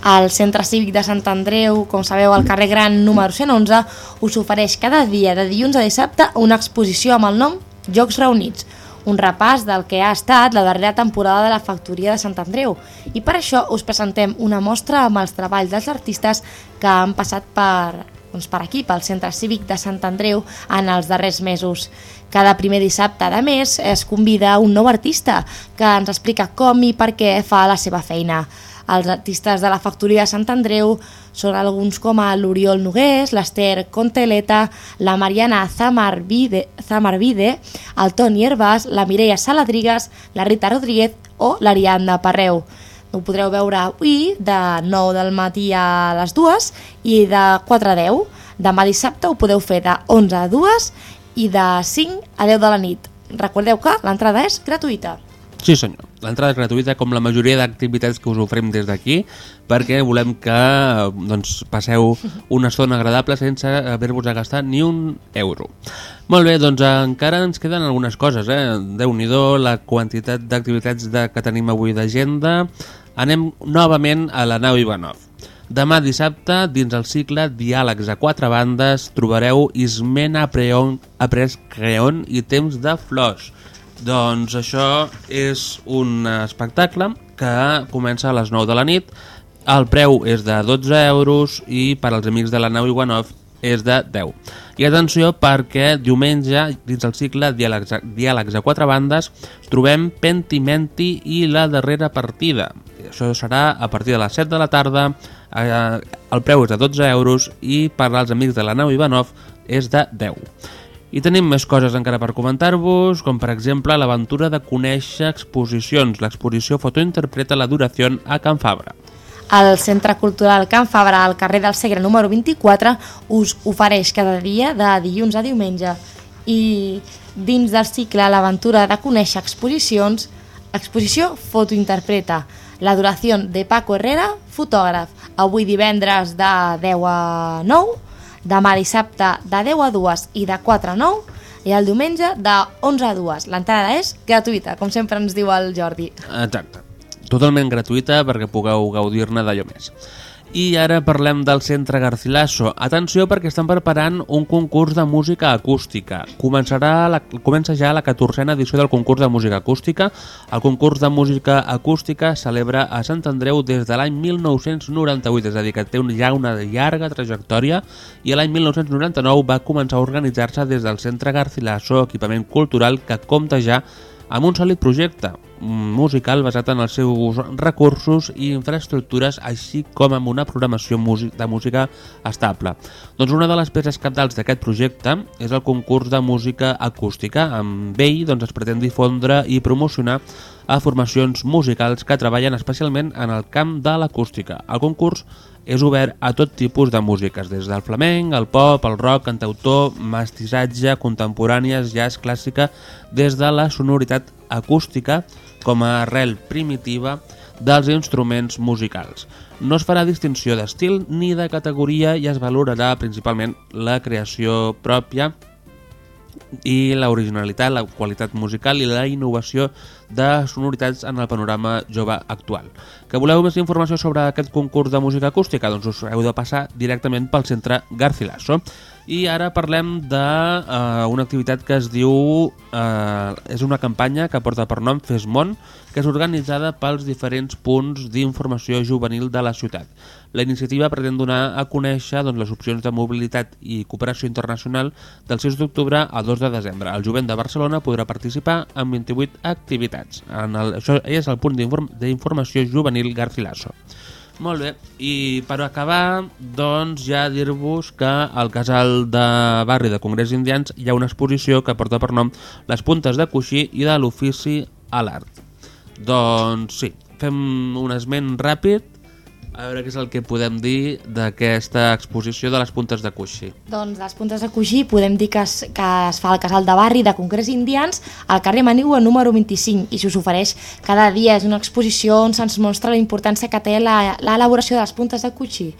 El Centre Cívic de Sant Andreu, com sabeu, al carrer Gran número cent onze, us ofereix cada dia de dilluns a dissabte una exposició amb el nom Jocs Reunits, un repàs del que ha estat la darrera temporada de la Factoria de Sant Andreu. I per això us presentem una mostra amb els treballs dels artistes que han passat per, doncs per aquí, pel Centre Cívic de Sant Andreu en els darrers mesos. Cada primer dissabte de mes es convida un nou artista que ens explica com i per què fa la seva feina. Els artistes de la Factoria de Sant Andreu són alguns com l'Oriol Nogués, l'Ester Conteleta, la Mariana Zamarvide, Zamarvide, el Toni Herbàs, la Mireia Saladrigues, la Rita Rodríguez o l'Ariadna Parreu. Ho podreu veure avui de nou del matí a les dues i de quatre a deu. Demà dissabte ho podeu fer de onze a dues i de cinc a deu de la nit. Recordeu que l'entrada és gratuïta. Sí senyor, l'entrada és gratuïta com la majoria d'activitats que us oferim des d'aquí perquè volem que doncs, passeu una estona agradable sense haver-vos de gastar ni un euro. Molt bé, doncs encara ens queden algunes coses, eh? Déu-n'hi-do la quantitat d'activitats de, que tenim avui d'agenda. Anem novament a la nau Ivanov. Demà dissabte, dins el cicle Diàlegs a quatre bandes, trobareu Ismena Après Creon i Temps de Flors. Doncs això és un espectacle que comença a les nou de la nit, el preu és de dotze euros i per als amics de la nau Ivanov és de deu. I atenció perquè diumenge, dins el cicle Diàlegs, Diàlegs a quatre bandes, trobem Pentimenti i la darrera partida. Això serà a partir de les set de la tarda, eh, el preu és de dotze euros i per als amics de la nau Ivanov és de deu. I tenim més coses encara per comentar-vos, com per exemple l'aventura de conèixer exposicions. L'exposició Fotointerpreta la duració a Can Fabra. El Centre Cultural Can Fabra, al carrer del Segre número vint-i-quatre, us ofereix cada dia de dilluns a diumenge. I dins del cicle l'aventura de conèixer exposicions, exposició Fotointerpreta, la duració de Paco Herrera, fotògraf, avui divendres de deu a nou, demà dissabte de deu a dues i de quatre a nou i el diumenge de onze a dues. L'entrada és gratuïta, com sempre ens diu el Jordi. Exacte, totalment gratuïta perquè pugueu gaudir-ne d'allò més. I ara parlem del Centre Garcilaso. Atenció perquè estan preparant un concurs de música acústica. Començarà la, comença ja la catorzena edició del concurs de música acústica. El concurs de música acústica es celebra a Sant Andreu des de l'any mil nou-cents noranta-vuit, és a dir, que té ja una llarga trajectòria, i l'any mil nou-cents noranta-nou va començar a organitzar-se des del Centre Garcilaso, equipament cultural que compta ja amb un sòlid projecte musical basat en els seus recursos i infraestructures, així com amb una programació de música estable. Doncs una de les peces cabdals d'aquest projecte és el concurs de música acústica. Amb ell doncs, es pretén difondre i promocionar a formacions musicals que treballen especialment en el camp de l'acústica. El concurs és obert a tot tipus de músiques, des del flamenc, el pop, el rock, cantautor, mestissatge, contemporànies, jazz, clàssica, des de la sonoritat acústica com a arrel primitiva dels instruments musicals. No es farà distinció d'estil ni de categoria i es valorarà principalment la creació pròpia i l'originalitat, la qualitat musical i la innovació de sonoritats en el panorama jove actual. Que voleu més informació sobre aquest concurs de música acústica? Doncs us heu de passar directament pel Centre Garcilaso. I ara parlem d'una uh, activitat que es diu... Uh, és una campanya que porta per nom Fes Món, que és organitzada pels diferents punts d'informació juvenil de la ciutat. La iniciativa pretén donar a conèixer doncs, les opcions de mobilitat i cooperació internacional del sis d'octubre al dos de desembre. El jovent de Barcelona podrà participar en vint-i-vuit activitats. En el, això és el punt d'informació juvenil Garcilaso. Molt bé, i per acabar, doncs ja dir-vos que al casal de barri de Congrés Indians hi ha una exposició que porta per nom Les puntes de coixí i de l'ofici a l'art. Doncs sí, fem un esment ràpid, a veure què és el que podem dir d'aquesta exposició de les puntes de coixí. Doncs les puntes de coixí podem dir que es, que es fa al casal de barri de Congrés Indians al carrer Manigua número vint-i-cinc i s'us ofereix cada dia. És una exposició on se'ns mostra la importància que té l'elaboració de les puntes de coixí.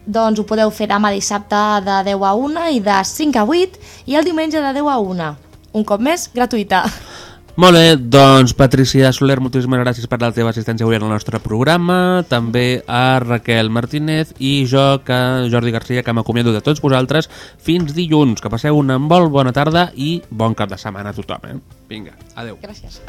Doncs ho podeu fer demà dissabte de deu a una i de cinc a vuit i el diumenge de deu a una. Un cop més, gratuïta. Molt bé, doncs Patricia Soler, moltíssimes gràcies per la teva assistència avui en el nostre programa, també a Raquel Martínez i jo, que Jordi Garcia, que m'acomiado de tots vosaltres fins dilluns. Que passeu una molt bona tarda i bon cap de setmana a tothom. Eh? Vinga, adeu. Gràcies.